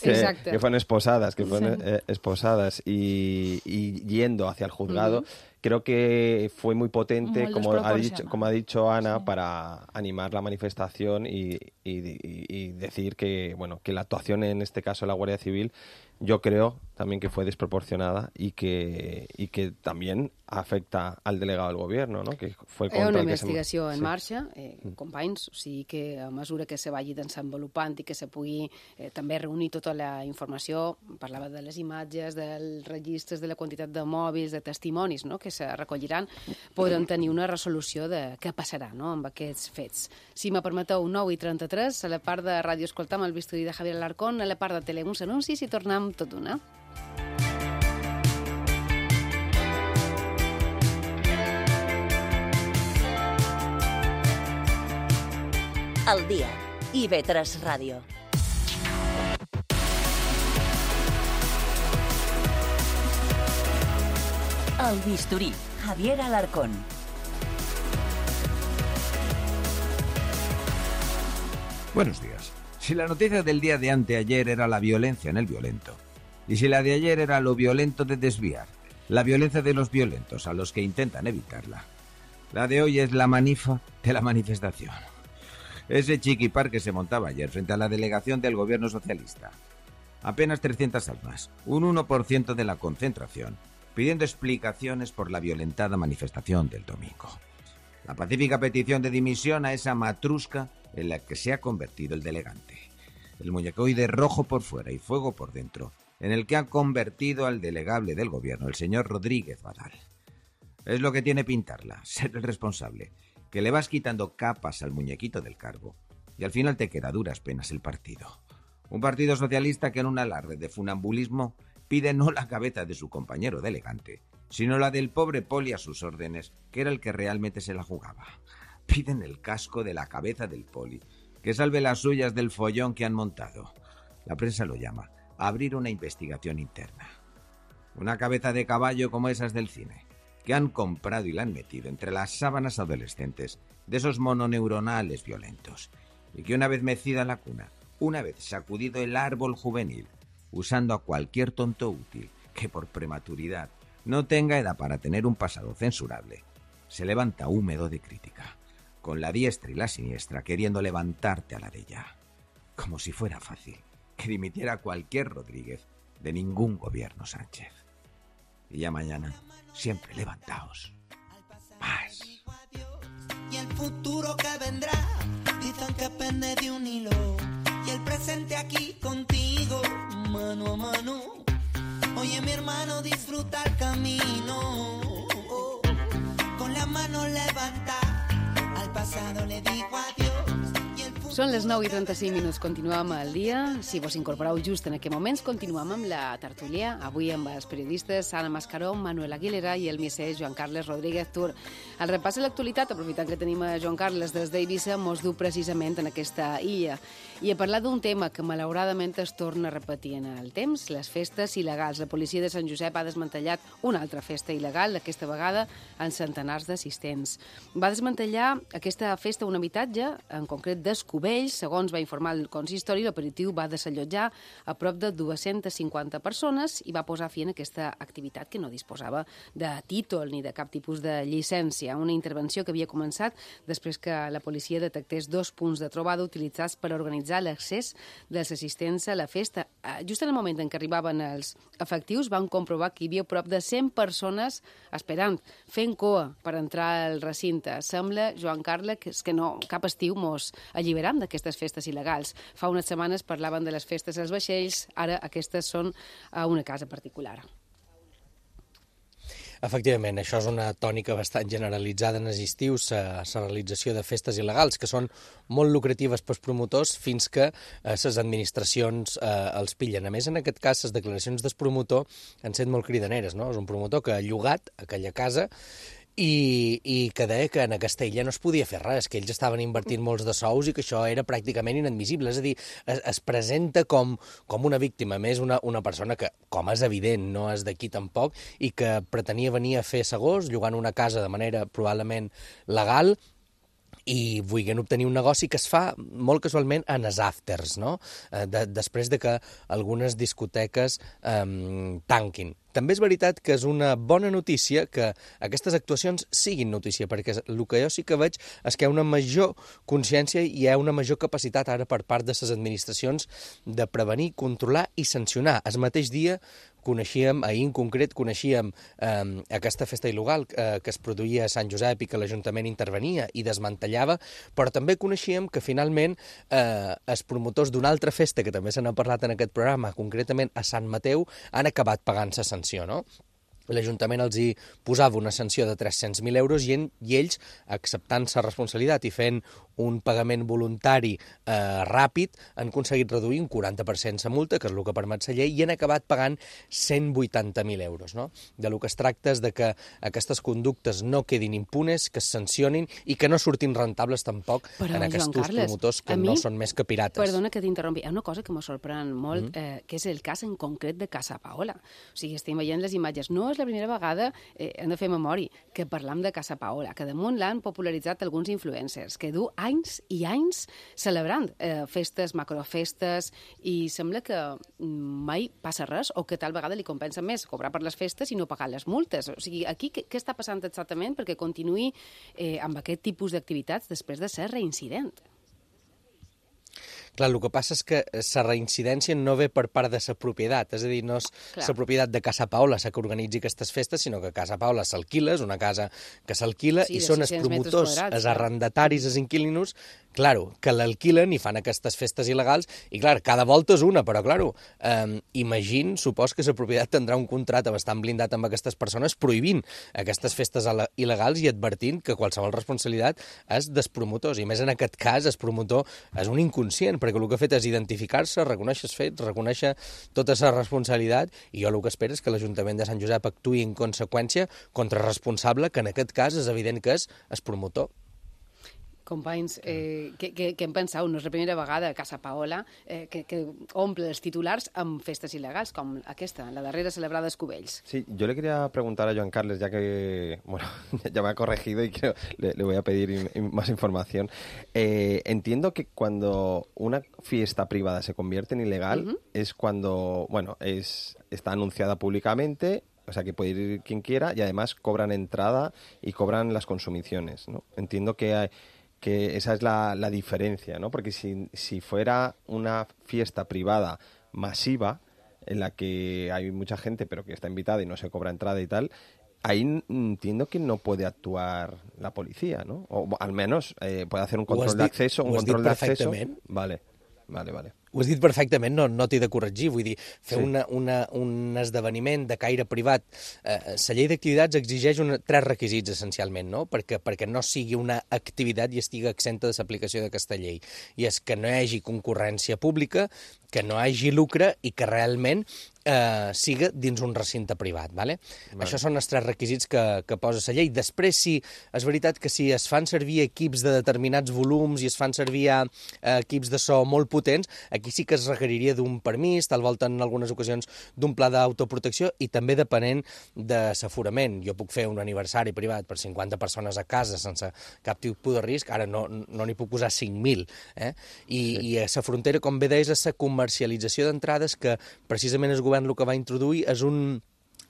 que, Exacte. que fueron esposadas, que fueron Sí. eh, esposadas y, y yendo hacia el juzgado, Ujú. creo que fue muy potente, Molt como ha dicho, desproporcionat. como ha dicho Ana, Sí. para animar la manifestación y, y, y- y decir que, bueno, que la actuación en este caso de la Guardia Civil, yo creo también que fue desproporcionada y que, y que también afecta al delegado del gobierno, ¿no? Que fue Hi ha contra una el que se- investigació en sí. marxa, eh, companys, o sigui que a mesura que se vagi desenvolupant i que se pugui eh, també reunir tota la informació, parlava de les imatges, dels registres, de la quantitat de mòbils, de testimonis, no?, que se recolliran, podrem tenir una resolució de què passarà, no?, amb aquests fets. Si me permeteu, nou i trenta-tres, a la part de ràdio escoltam el bisturi de Javier Alarcón, a la part de tele uns anuncis i tornem tot d'una. Al dia. I ve tres Ràdio. El bisturí. Javier Alarcón. Buenos días. Si la noticia del día de anteayer era la violencia en el violento, y si la de ayer era lo violento de desviar, la violencia de los violentos a los que intentan evitarla, La de hoy es la manifa de la manifestación. Ese chiquipar que se montaba ayer frente a la delegación del gobierno socialista. Apenas trescientas almas, un uno por ciento de la concentración, pidiendo explicaciones por la violentada manifestación del domingo. La pacífica petición de dimisión a esa matrusca en la que se ha convertido el delegante. El muñecoide rojo por fuera y fuego por dentro, en el que ha convertido al delegable del gobierno, el señor Rodríguez Badal. Es lo que tiene pintarla, ser el responsable, que le vas quitando capas al muñequito del cargo y al final te queda a duras penas el partido. Un partido socialista que en un alarde de funambulismo pide no la cabeza de su compañero delegante, sino la del pobre poli a sus órdenes, que era el que realmente se la jugaba. Piden el casco de la cabeza del poli, que salve las suyas del follón que han montado. La prensa lo llama abrir una investigación interna. Una cabeza de caballo como esas del cine, que han comprado y la han metido entre las sábanas adolescentes de esos mononeuronales violentos, y que una vez mecida la cuna, una vez sacudido el árbol juvenil, usando a cualquier tonto útil que por prematuridad no tenga edad para tener un pasado censurable, se levanta húmedo de crítica, con la diestra y la siniestra queriendo levantarte a la de ella, como si fuera fácil que dimitiera cualquier Rodríguez de ningún gobierno Sánchez. Y ya mañana, siempre levantaos. Más. Y el futuro que vendrá, dicen que pende de un hilo. Y el presente aquí contigo, mano a mano. Oye, mi hermano, disfruta el camino. Con la mano levanta, al pasado le digo adiós. Són les nou i trenta-cinc minuts, continuem al dia. Si vos incorporeu just en aquests moments, continuem amb la tertúlia. Avui amb els periodistes Anna Mascaró, Manuel Aguilera i el misser Joan Carles Rodríguez Tur. El repàs de l'actualitat, aprofitant que tenim a Joan Carles des d'Eivissa, mos du precisament en aquesta illa. I a parlar d'un tema que malauradament es torna a repetir en el temps, les festes il·legals. La policia de Sant Josep ha desmantellat una altra festa il·legal, aquesta vegada en centenars d'assistents. Va desmantellar aquesta festa a un habitatge, en concret d'Escobar. Segons va informar el consistori, l'operatiu va desallotjar a prop de dues-centes cinquanta persones i va posar fi en aquesta activitat que no disposava de títol ni de cap tipus de llicència. Una intervenció que havia començat després que la policia detectés dos punts de trobada utilitzats per organitzar l'accés dels assistents a la festa. Just en el moment en què arribaven els efectius van comprovar que hi havia prop de cent persones esperant, fent coa per entrar al recinte. Sembla, Joan Carles, que no, cap estiu mos alliberam d'aquestes festes il·legals. Fa unes setmanes parlaven de les festes als vaixells, ara aquestes són a una casa particular. Efectivament, això és una tònica bastant generalitzada en els estius, la realització de festes il·legals, que són molt lucratives pels promotors fins que les administracions eh, els pillen. A més, en aquest cas, les declaracions del promotor han set molt cridaneres, no? És un promotor que ha llogat aquella casa I, i que deia que en aquesta illa no es podia fer res, que ells estaven invertint molts de sous i que això era pràcticament inadmissible. És a dir, es, es presenta com, com una víctima, més una, una persona que, com és evident, no és d'aquí tampoc, i que pretenia venir a fer segons, llogant una casa de manera probablement legal, i vulguin obtenir un negoci que es fa molt casualment en els afters, no? De, després de que algunes discoteques eh, tanquin. També és veritat que és una bona notícia que aquestes actuacions siguin notícia, perquè el que jo sí que veig és que hi ha una major consciència i hi ha una major capacitat ara per part de les administracions de prevenir, controlar i sancionar. El mateix dia coneixíem, ahir en concret, coneixíem eh, aquesta festa il·legal eh, que es produïa a Sant Josep i que l'Ajuntament intervenia i desmantellava, però també coneixíem que finalment eh, els promotors d'una altra festa, que també se n'ha parlat en aquest programa, concretament a Sant Mateu, han acabat pagant la sanció, no? L'Ajuntament els hi posava una sanció de tres-cents mil euros i, en, i ells, acceptant la responsabilitat i fent un pagament voluntari eh, ràpid, han aconseguit reduir un quaranta per cent la multa, que és el que permet la llei, i han acabat pagant cent vuitanta mil euros. No? De lo que es tracta és de que aquestes conductes no quedin impunes, que es sancionin i que no surtin rentables tampoc Però, en aquests Carles, promotors que mi, no són més que pirates. Perdona que t'interrompi, hi ha una cosa que me sorprèn molt, mm. eh, que és el cas en concret de Casa Paola. O sigui, estem veient les imatges. No és la primera vegada, eh, hem de fer memòria, que parlam de Casa Paola, que damunt l'han popularitzat alguns influencers, que du anys i anys celebrant eh, festes, macrofestes, i sembla que mai passa res, o que tal vegada li compensa més cobrar per les festes i no pagar les multes. O sigui, aquí què, què està passant exactament perquè continuï eh, amb aquest tipus d'activitats després de ser reincident? Clar, el que passa és que la reincidència no ve per part de la propietat, és a dir, no és la propietat de Casa Paula la que organitzi aquestes festes, sinó que Casa Paula s'alquila, és una casa que s'alquila, sí, i són els promotors, els arrendataris, els inquilinos, claro, que l'alquilen i fan aquestes festes il·legals, i clar, cada volta és una, però claro, eh, imagine, supos que la propietat tindrà un contracte bastant blindat amb aquestes persones prohibint aquestes festes il·legals i advertint que qualsevol responsabilitat és dels promotors, i més en aquest cas el promotor és un inconscient, perquè el que ha fet és identificar-se, reconèixer els fets, reconèixer tota la responsabilitat, i jo el que espero és que l'Ajuntament de Sant Josep actuï en conseqüència contra el responsable, que en aquest cas és evident que és el promotor. Companys, eh, què, què, què en penseu? No és la primera vegada a Casa Paola eh, que, que omple els titulars amb festes il·legals, com aquesta, la darrera celebrada als Cubells. Sí, yo le quería preguntar a Joan Carles, ya que bueno, ya me ha corregido y creo, le, le voy a pedir in, in, más información. Eh, entiendo que cuando una fiesta privada se convierte en ilegal uh-huh. es cuando, bueno, es, está anunciada públicamente, o sea que puede ir quien quiera y además cobran entrada y cobran las consumiciones, ¿no? Entiendo que hay, que esa es la, la diferencia, ¿no? Porque si, si fuera una fiesta privada masiva, en la que hay mucha gente pero que está invitada y no se cobra entrada y tal, ahí entiendo que no puede actuar la policía, ¿no? O al menos eh, puede hacer un control de acceso, un control de acceso. Vale, vale, vale. Ho has dit perfectament, no, no t'he de corregir, vull dir, fer sí. una, una, un esdeveniment de caire privat. Eh, la llei d'activitats exigeix una, tres requisits, essencialment, no? Perquè, perquè no sigui una activitat i estigui exenta de l'aplicació d'aquesta llei. I és que no hi hagi concurrència pública, que no hi hagi lucre i que realment eh, siga dins un recinte privat. Vale? Vale. Això són els tres requisits que, que posa la llei. Després, sí, és veritat que si es fan servir equips de determinats volums i es fan servir eh, equips de so molt potents, aquí sí que es requeriria d'un permís, tal volta en algunes ocasions d'un pla d'autoprotecció i també depenent de l'aforament. Jo puc fer un aniversari privat per cinquanta persones a casa sense cap tipus de risc, ara no n'hi no puc posar cinc mil. Eh? I, sí. I a la frontera, com bé deies, és la comercialització d'entrades que precisament el govern el que va introduir és un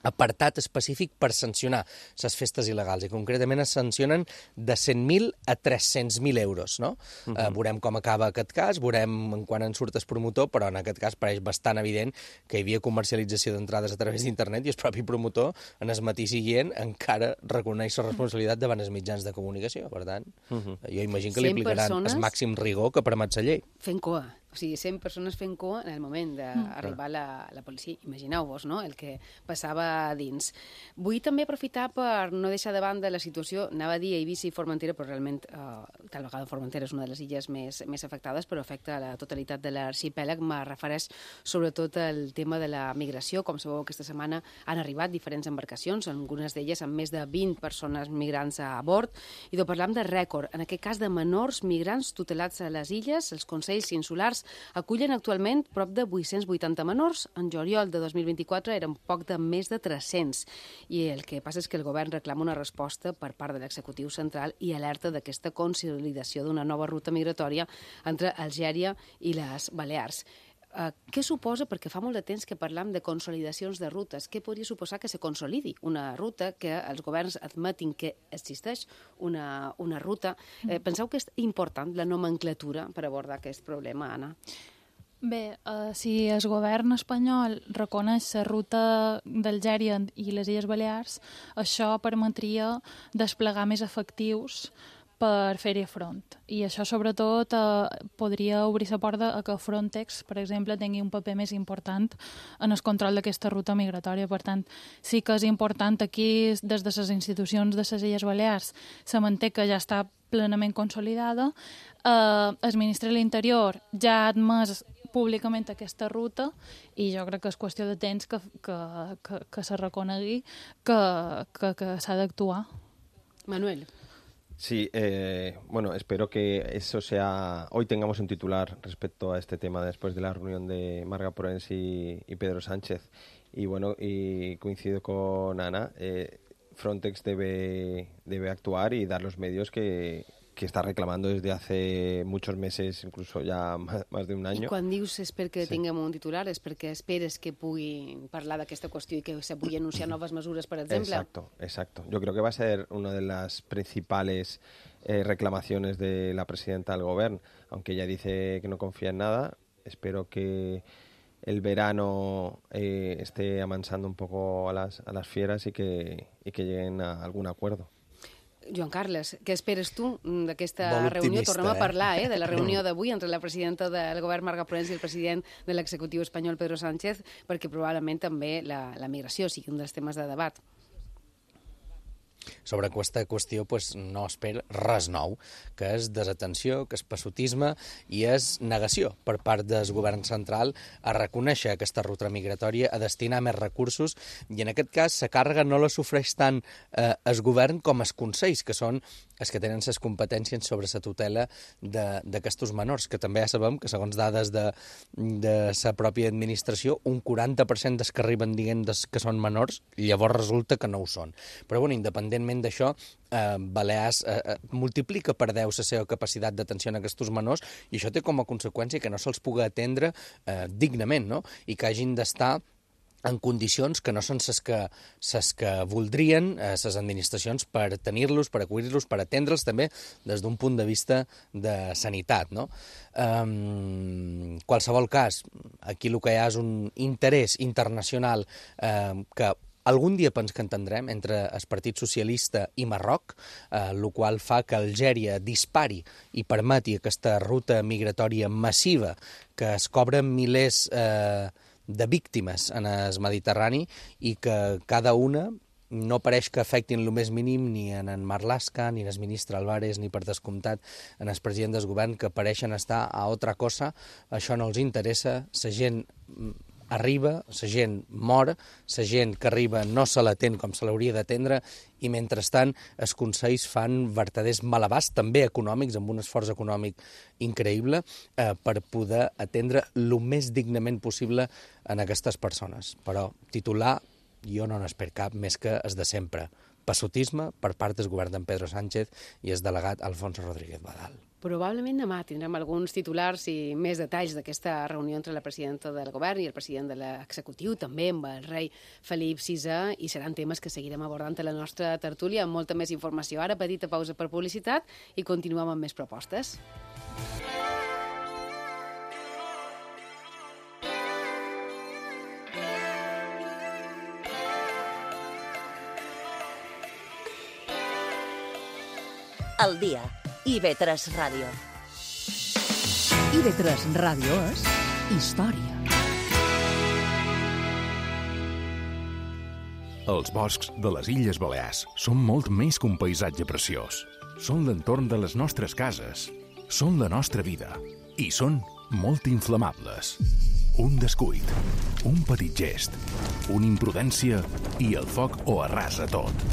apartat específic per sancionar les festes il·legals, i concretament es sancionen de cent mil a tres-cents mil euros, no? Uh-huh. eh, veurem com acaba aquest cas, veurem en quan en surt el promotor, però en aquest cas pareix bastant evident que hi havia comercialització d'entrades a través d'internet i el propi promotor, en el matí siguient, encara reconeix la responsabilitat davant els mitjans de comunicació. Per tant, uh-huh. jo imagino que li aplicaran el màxim rigor que permet la llei. Fent cua. O sigui, cent persones fent cua en el moment d'arribar la, la policia. Imagineu-vos, no?, el que passava dins. Vull també aprofitar per no deixar de banda la situació, anava a dir Eivissa i Formentera, però realment eh, tal vegada Formentera és una de les illes més, més afectades, però afecta la totalitat de l'arxipèlag. Me refereix sobretot al tema de la migració. Com sabeu, aquesta setmana han arribat diferents embarcacions, algunes d'elles amb més de vint persones migrants a bord, i de parlam de rècord, en aquest cas de menors migrants tutelats a les illes. Els consells insulars acullen actualment prop de vuit-cents vuitanta menors. En juliol de dos mil vint-i-quatre eren poc de més de tres-cents. I el que passa és que el govern reclama una resposta per part de l'executiu central i alerta d'aquesta consolidació d'una nova ruta migratòria entre Algèria i les Balears. Uh, què suposa, perquè fa molt de temps que parlam de consolidacions de rutes, què podria suposar que se consolidi una ruta, que els governs admetin que existeix una, una ruta? Eh, penseu que és important la nomenclatura per abordar aquest problema, Anna? Bé, uh, si el govern espanyol reconeix la ruta d'Algèria i les Illes Balears, això permetria desplegar més efectius per fer-hi front. I això, sobretot, eh, podria obrir la porta a que Frontex, per exemple, tingui un paper més important en el control d'aquesta ruta migratòria. Per tant, sí que és important aquí, des de les institucions de les Illes Balears, se manté que ja està plenament consolidada. Eh, el Ministre de l'Interior ja ha admès públicament aquesta ruta i jo crec que és qüestió de temps que, que, que, que se reconegui que, que, que s'ha d'actuar. Manuel. Sí, eh, bueno, espero que eso sea... Hoy tengamos un titular respecto a este tema después de la reunión de Marga Porens y, y Pedro Sánchez. Y bueno, y coincido con Ana, eh, Frontex debe, debe actuar y dar los medios que, que está reclamando desde hace muchos meses, incluso ya más, más de un año. I quan dius és perquè Sí. tinguem un titular, és perquè esperes que pugui parlar d'aquesta qüestió i que se pugui anunciar noves mesures, per exemple? Exacto, exacto. Yo creo que va a ser una de las principales eh, reclamaciones de la presidenta del Gobierno, aunque ella dice que no confía en nada. Espero que el verano eh, esté amansando un poco a las, a las fieras y que, y que lleguen a algún acuerdo. Joan Carles, què esperes tu d'aquesta Molt reunió? optimista, Tornem a eh? parlar eh, de la reunió d'avui entre la presidenta del govern, Marga Proens, i el president de l'executiu espanyol, Pedro Sánchez, perquè probablement també la, la migració sigui un dels temes de debat. Sobre aquesta qüestió pues, no espera res nou, que és desatenció, que és passotisme i és negació per part del govern central a reconèixer aquesta ruta migratòria, a destinar més recursos, i en aquest cas la càrrega no la sofreix tant eh, el govern com els consells, que són els que tenen les competències sobre la tutela d'aquests menors, que també ja sabem que segons dades de, de la pròpia administració, un quaranta per cent dels que arriben dient que són menors, llavors resulta que no ho són. Però bueno, independentment d'això, eh, Balears eh, eh, multiplica per deu la seva capacitat d'atenció a aquests menors i això té com a conseqüència que no se'ls pugui atendre eh, dignament, no? I que hagin d'estar en condicions que no són les que, ses que voldrien les eh, administracions per tenir-los, per acollir-los, per atendre'ls també des d'un punt de vista de sanitat. No? Um, qualsevol cas, aquí el que hi ha és un interès internacional eh, que algun dia pens que entendrem entre el Partit Socialista i Marroc, eh, el qual fa que Algèria dispari i permeti aquesta ruta migratòria massiva que es cobren milers eh, de víctimes en el Mediterrani i que cada una no pareix que afectin el més mínim ni en en Marlaska, ni en el ministre Álvarez, ni per descomptat en el president del govern, que pareixen estar a altra cosa. Això no els interessa, la gent arriba, la gent mor, la gent que arriba no se l'atén com se l'hauria d'atendre i, mentrestant, els consells fan vertaders malabars, també econòmics, amb un esforç econòmic increïble, eh, per poder atendre el més dignament possible en aquestes persones. Però titular jo no n'espero cap més que es de sempre. Passotisme per part del govern d'en Pedro Sánchez i el delegat Alfonso Rodríguez Badal. Probablement demà tindrem alguns titulars i més detalls d'aquesta reunió entre la presidenta del govern i el president de l'executiu, també amb el rei Felip sisè, i seran temes que seguirem abordant a la nostra tertúlia amb molta més informació. Ara, petita pausa per publicitat i continuem amb més propostes. El dia. I ve tres Ràdio. I ve tres Ràdio és història. Els boscs de les Illes Balears són molt més que un paisatge preciós. Són l'entorn de les nostres cases. Són la nostra vida. I són molt inflamables. Un descuit, un petit gest, una imprudència i el foc ho arrasa tot.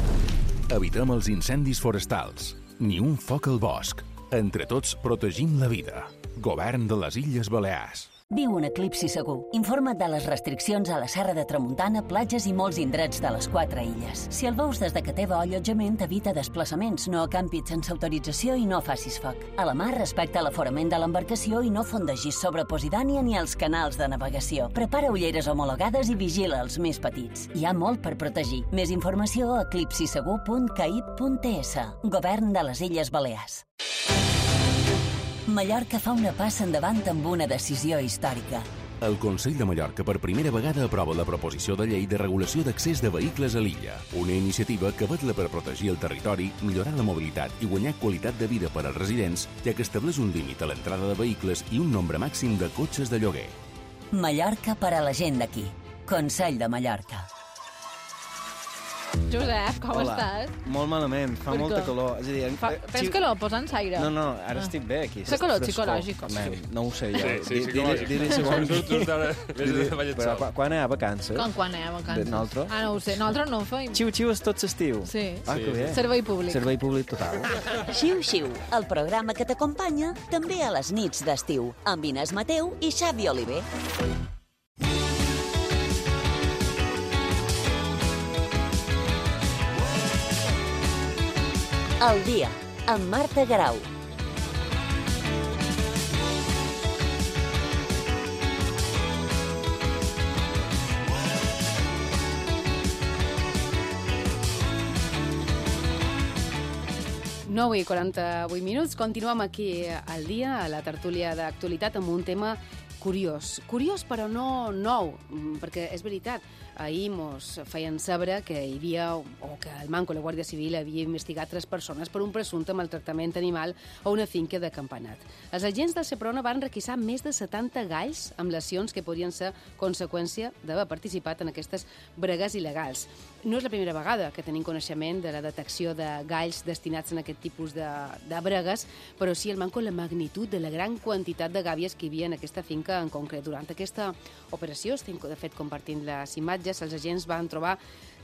Evitem els incendis forestals. Ni un foc al bosc. Entre tots protegim la vida. Govern de les Illes Balears. Viu un eclipsi segur. Informa't de les restriccions a la Serra de Tramuntana, platges i molts indrets de les quatre illes. Si el veus des de que teva allotjament, evita desplaçaments, no acampis sense autorització i no facis foc. A la mar, respecta l'aforament de l'embarcació i no fondegis sobre Posidània ni els canals de navegació. Prepara ulleres homologades i vigila els més petits. Hi ha molt per protegir. Més informació a eclipsisegur punt caib punt es. Govern de les Illes Balears. Mallorca fa una passa endavant amb una decisió històrica. El Consell de Mallorca per primera vegada aprova la proposició de llei de regulació d'accés de vehicles a l'illa, una iniciativa que vetla per protegir el territori, millorar la mobilitat i guanyar qualitat de vida per als residents, ja que estableix un límit a l'entrada de vehicles i un nombre màxim de cotxes de lloguer. Mallorca per a la gent d'aquí. Consell de Mallorca. Josep, com Hola. estàs? Molt malament, fa Per molta què? calor. És a dir, en- Fa, eh, tens si- calor, posant aire? No, no, ara Ah. estic bé aquí. Fa calor Frescor. psicològic. Home, no ho sé jo. Sí, sí, Di- psicològic. Dir-li segons... Tu- tu estàs- vés Dir-li- a ballar Però sol. quan- quan hi ha vacances? Com quan anem a vacances? De nosaltres? Ah, no ho sé. Nosaltres no ho feim. Xiu-xiu és tot l'estiu. Sí. Ah, que bé. Servei públic. Servei públic total. Xiu-xiu, el programa que t'acompanya també a les nits d'estiu, amb Inés Mateu i Xavi Oliver. El dia, amb Marta Garau. nou i quaranta-vuit minuts. Continuem aquí al dia, a la tertúlia d'actualitat, amb un tema curiós. Curiós, però no nou, perquè és veritat, ahir mos feien saber que hi havia, o que el Manco, la Guàrdia Civil, havia investigat tres persones per un presumpte maltractament animal a una finca de Campanat. Els agents del Seprona van requisar més de setanta galls amb lesions que podrien ser conseqüència d'haver participat en aquestes bregues il·legals. No és la primera vegada que tenim coneixement de la detecció de galls destinats en aquest tipus de, de bregues, però sí el Manco la magnitud de la gran quantitat de gàbies que hi havia en aquesta finca en concret. Durant aquesta operació, estem de fet compartint les imatges, els agents van trobar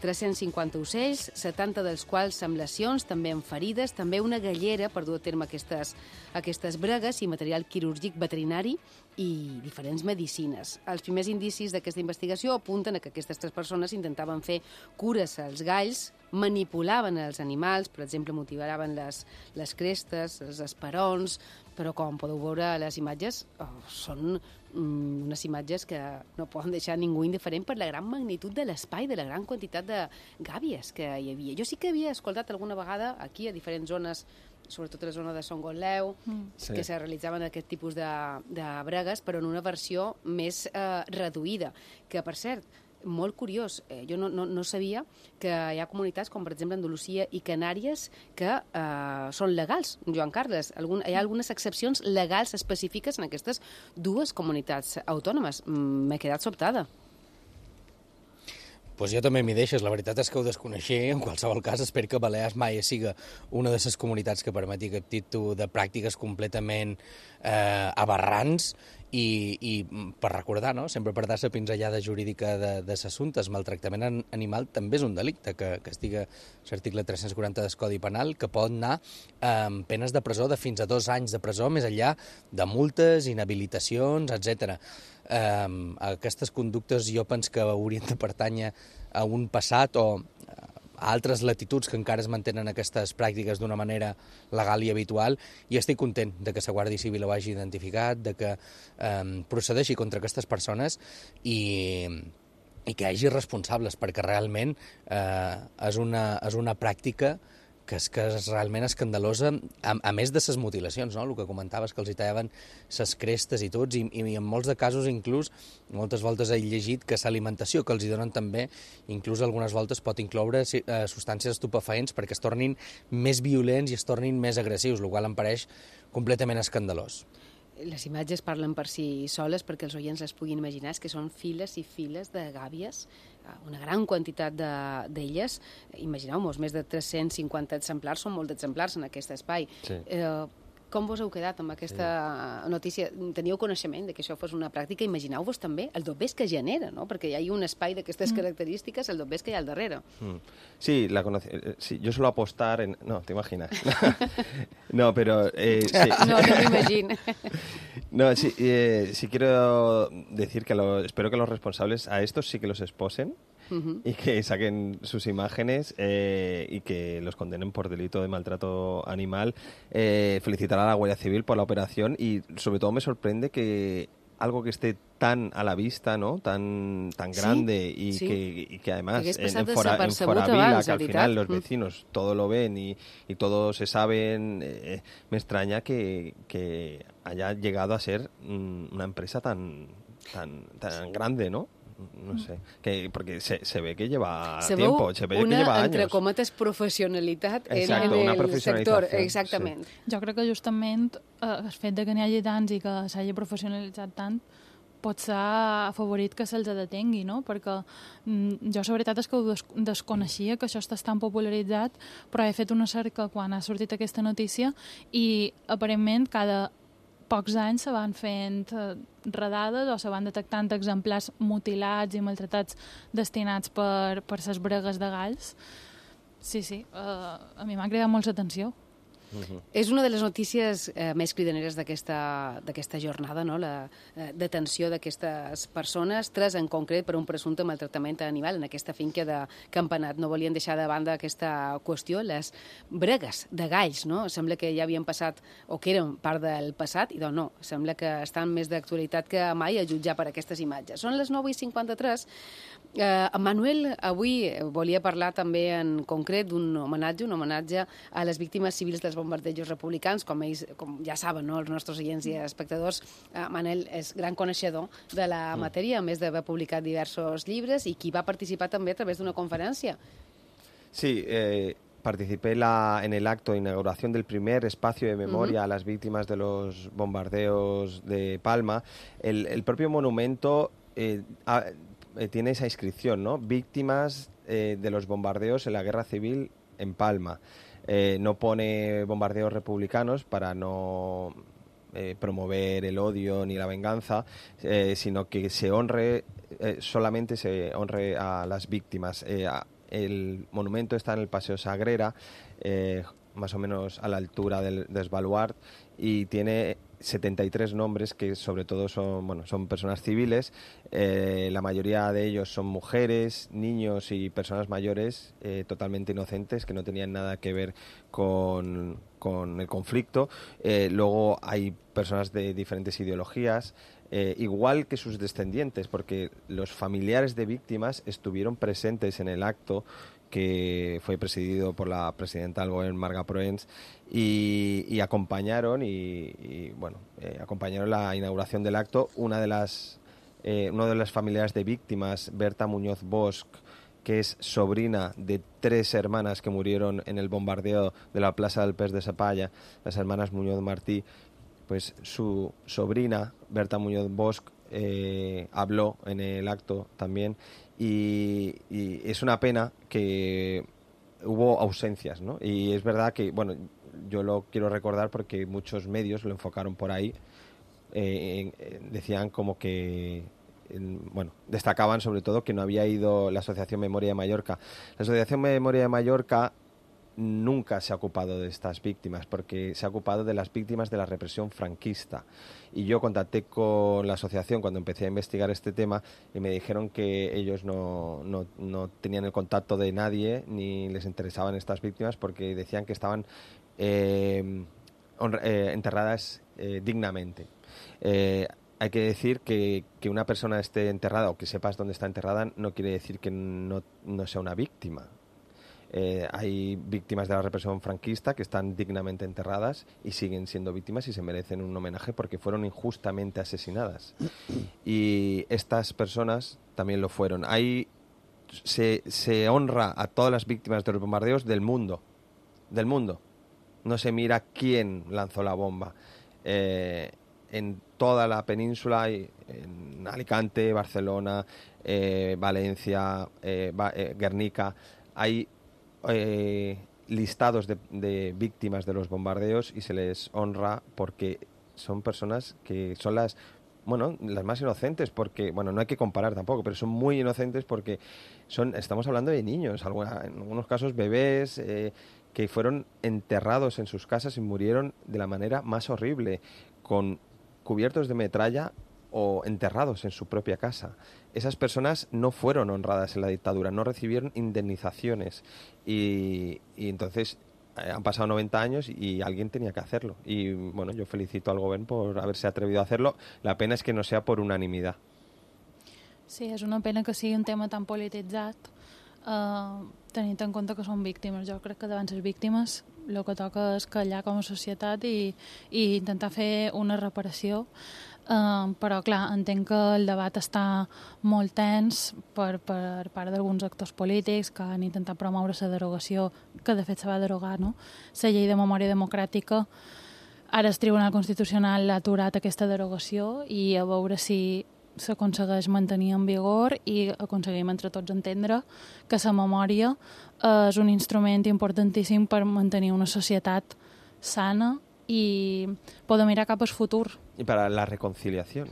tres-cents cinquanta ocells, setanta dels quals amb lesions, també amb ferides, també una gallera per dur a terme aquestes, aquestes bregues i material quirúrgic veterinari i diferents medicines. Els primers indicis d'aquesta investigació apunten a que aquestes tres persones intentaven fer cures als galls, manipulaven els animals, per exemple, motivaven les, les crestes, els esperons, però com podeu veure a les imatges, oh, són mm, unes imatges que no poden deixar ningú indiferent per la gran magnitud de l'espai, de la gran quantitat de gàbies que hi havia. Jo sí que havia escoltat alguna vegada aquí a diferents zones, sobretot a la zona de Son Gotleu, mm. sí. que se realitzaven aquest tipus de, de bregues, però en una versió més eh, reduïda, que per cert, molt curiós, eh, jo no, no, no sabia que hi ha comunitats com per exemple Andalusia i Canàries que eh, són legals, Joan Carles. Algun, hi ha algunes excepcions legals específiques en aquestes dues comunitats autònomes. M'he quedat sobtada. Pues jo també m'hi deixes. La veritat és que ho desconeixia. En qualsevol cas, espero que Balears mai siga una de les comunitats que permeti aquest tipus de pràctiques completament eh, aberrants i, i per recordar, no? Sempre per dar la pinzellada jurídica de, de l'assumpte, el maltractament animal també és un delicte que, que estiga l'article tres-cents quaranta del Codi Penal, que pot anar amb penes de presó de fins a dos anys de presó, més enllà de multes, inhabilitacions, etcètera. Um, aquestes conductes jo penso que haurien de pertànyer a un passat o a altres latituds que encara es mantenen aquestes pràctiques d'una manera legal i habitual, i estic content de que la Guàrdia Civil ho hagi identificat, de que um, procedeixi contra aquestes persones i, i que hi hagi responsables, perquè realment eh, és, una, és una pràctica que és, que és realment escandalosa, a, a més de les mutilacions, no? El que comentaves, que els hi tallaven les crestes i tots, i, i en molts de casos inclús, moltes voltes he llegit que l'alimentació que els hi donen també, inclús algunes voltes pot incloure eh, substàncies estupefaents perquè es tornin més violents i es tornin més agressius, el qual em pareix completament escandalós. Les imatges parlen per si soles perquè els oients les puguin imaginar, és que són files i files de gàbies, una gran quantitat d'elles. De, Imagineu-vos, més de tres-cents cinquanta exemplars, són molts exemplars en aquest espai. Sí. Eh, com vos heu quedat amb aquesta sí. notícia? Teníeu coneixement de que això fos una pràctica? Imagineu-vos també el dobbers que genera, no? Perquè hi ha un espai d'aquestes mm. característiques, el dobbers que hi ha al darrere. Mm. Sí, la conocí. Sí, yo suelo apostar en... No, te imaginas. No, pero... Eh, sí. No, no me imagino. No, sí, eh, sí quiero decir que lo, espero que los responsables a estos sí que los esposen. Uh-huh. Y que saquen sus imágenes eh, y que los condenen por delito de maltrato animal. Eh, felicitar a la Guardia Civil por la operación y sobre todo me sorprende que algo que esté tan a la vista, ¿no? Tan tan grande sí, y, sí. Que, y que además en, en, Fora, en Foravila, que al final los vecinos mm. todo lo ven y, y todo se saben, eh, me extraña que, que haya llegado a ser mm, una empresa tan, tan, tan grande, ¿no? No sé, que, porque se, se ve que lleva se tiempo, se ve que lleva una, años. entre cometes, professionalitat Exacto, en, en el sector. Exactament. Sí. Jo crec que justament eh, el fet de que n'hi hagi tants i que s'hagi professionalitzat tant pot ser afavorit que se'ls detengui, no? Perquè mm, jo la veritat és que ho des desconeixia, que això està tan popularitzat, però he fet una cerca quan ha sortit aquesta notícia i aparentment cada pocs anys se van fent redades o se van detectant exemplars mutilats i maltratats destinats per, per ses bregues de galls. Sí, sí, uh, a mi m'ha cridat molt l'atenció. Uh-huh. És una de les notícies eh, més cridaneres d'aquesta jornada, no? La eh, detenció d'aquestes persones, tres en concret per un presumpte maltractament animal en aquesta finca de Campanat. No volien deixar de banda aquesta qüestió, les bregues de galls, no? Sembla que ja havien passat, o que eren part del passat, i doncs no, sembla que estan més d'actualitat que mai a jutjar per aquestes imatges. Són les nou i cinquanta-tres. Eh, Manuel avui volia parlar també en concret d'un homenatge, un homenatge a les víctimes civils dels bombardejos republicans, com ells com ja saben, no? Els nostres oients i espectadors, eh, Manel és gran coneixedor de la matèria, a més d'haver publicat diversos llibres, i qui va participar també a través d'una conferència. Sí, eh, participé la, en el acto de inauguración del primer espacio de memoria uh-huh. a las víctimas de los bombardeos de Palma. El, el propio monumento eh, a, eh, tiene esa inscripción, ¿no? Víctimas eh, de los bombardeos en la guerra civil en Palma. Eh, no pone bombardeos republicanos para no eh, promover el odio ni la venganza, eh, sino que se honre, eh, solamente se honre a las víctimas. Eh, a, el monumento está en el Paseo Sagrera, eh, más o menos a la altura del, del Baluard, y tiene setenta y tres nombres que sobre todo son, bueno, son personas civiles. Eh, la mayoría de ellos son mujeres, niños y personas mayores eh, totalmente inocentes que no tenían nada que ver con, con el conflicto. Eh, luego hay personas de diferentes ideologías, eh, igual que sus descendientes, porque los familiares de víctimas estuvieron presentes en el acto que fue presidido por la presidenta del gobierno, Marga Proens, y, y acompañaron y, y bueno eh, acompañaron la inauguración del acto. Una de las eh, una de las familiares de víctimas, Berta Muñoz Bosch, que es sobrina de tres hermanas que murieron en el bombardeo de la Plaza del Pes de Sapalla, las hermanas Muñoz Martí, pues su sobrina, Berta Muñoz Bosch, eh, habló en el acto también. Y, y es una pena que hubo ausencias, ¿no? Y es verdad que, bueno, yo lo quiero recordar porque muchos medios lo enfocaron por ahí, eh, eh, decían como que, eh, bueno, destacaban sobre todo que no había ido la Asociación Memoria de Mallorca. La Asociación Memoria de Mallorca nunca se ha ocupado de estas víctimas, porque se ha ocupado de las víctimas de la represión franquista. Y yo contacté con la asociación cuando empecé a investigar este tema y me dijeron que ellos no, no, no tenían el contacto de nadie ni les interesaban estas víctimas porque decían que estaban eh, honra, eh, enterradas eh, dignamente. Eh, hay que decir que, que una persona esté enterrada o que sepas dónde está enterrada no quiere decir que no, no sea una víctima. Eh, hay víctimas de la represión franquista que están dignamente enterradas y siguen siendo víctimas y se merecen un homenaje porque fueron injustamente asesinadas. Y estas personas también lo fueron. Ahí se, se honra a todas las víctimas de los bombardeos del mundo. Del mundo. No se mira quién lanzó la bomba. Eh, en toda la península, en Alicante, Barcelona, eh, Valencia, eh, eh, Guernica, hay Eh, listados de, de víctimas de los bombardeos y se les honra porque son personas que son las bueno las más inocentes, porque bueno no hay que comparar tampoco, pero son muy inocentes porque son estamos hablando de niños, alguna, en algunos casos bebés eh, que fueron enterrados en sus casas y murieron de la manera más horrible, con cubiertos de metralla o enterrados en su propia casa. Esas personas no fueron honradas en la dictadura, no recibieron indemnizaciones y, y entonces eh, han pasado noventa años y alguien tenía que hacerlo. Y bueno, yo felicito al gobierno por haberse atrevido a hacerlo. La pena es que no sea por unanimidad. Sí, és una pena que sigui un tema tan polititzat, eh, tenint en compte que són víctimes. Jo crec que davant les víctimes el que toca és callar com a societat i, i intentar fer una reparació. Uh, però clar, entenc que el debat està molt tens per, per part d'alguns actors polítics que han intentat promoure la derogació, que de fet se va derogar, no? La llei de memòria democràtica. Ara el Tribunal Constitucional ha aturat aquesta derogació i a veure si s'aconsegueix mantenir en vigor i aconseguim entre tots entendre que la memòria és un instrument importantíssim per mantenir una societat sana y puedo mirar cap al futur. Y para la reconciliación.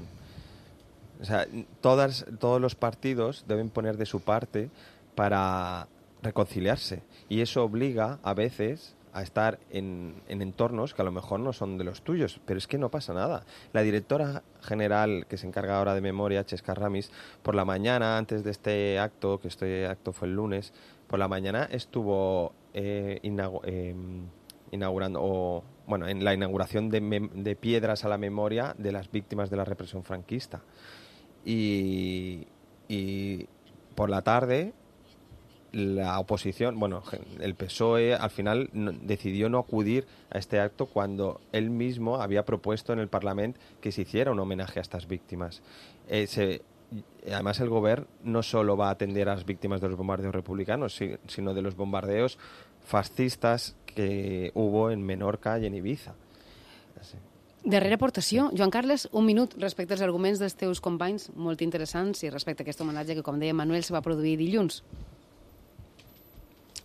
O sea, todas, todos los partidos deben poner de su parte para reconciliarse. Y eso obliga a veces a estar en, en entornos que a lo mejor no son de los tuyos, pero es que no pasa nada. La directora general que se encarga ahora de memoria, Chesca Ramis, por la mañana, antes de este acto, que este acto fue el lunes, por la mañana estuvo eh, inaugurando... Eh, inaugurando o bueno en la inauguración de, mem- de piedras a la memoria de las víctimas de la represión franquista y, y por la tarde la oposición, bueno, el P S O E al final no, decidió no acudir a este acto cuando él mismo había propuesto en el Parlamento que se hiciera un homenaje a estas víctimas. Eh, se, además, el gobierno no solo va a atender a las víctimas de los bombardeos republicanos, sino de los bombardeos fascistas que hubo en Menorca i en Ibiza. Sí. Darrera aportació. Joan Carles, un minut respecte als arguments dels teus companys, molt interessants, i respecte a aquest homenatge que, com deia Manuel, se va produir dilluns.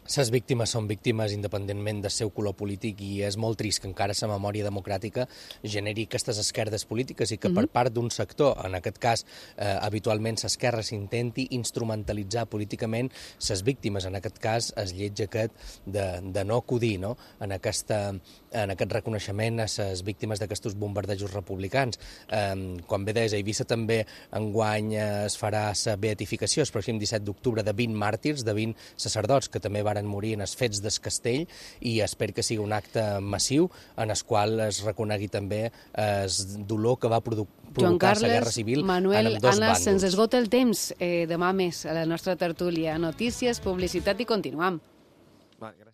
Les víctimes són víctimes independentment del seu color polític i és molt trist que encara la memòria democràtica generi aquestes esquerdes polítiques i que per part d'un sector, en aquest cas eh, habitualment l'esquerra, s'intenti instrumentalitzar políticament les víctimes, en aquest cas es lleig aquest de, de no acudir no? en, aquesta, en aquest reconeixement a les víctimes d'aquests bombardejos republicans. Eh, quan ve des a Eivissa també enguany es farà la beatificació el pròxim disset d'octubre de vint màrtirs, de vint sacerdots que també varen morir en els fets del castell i espero que sigui un acte massiu en el qual es reconegui també el dolor que va produ provocar la guerra civil Manuel, en ambdós Anna, bàndols. se'ns esgota el temps. Eh, demà més a la nostra tertúlia. Notícies, publicitat i continuam. Vale, gràcies.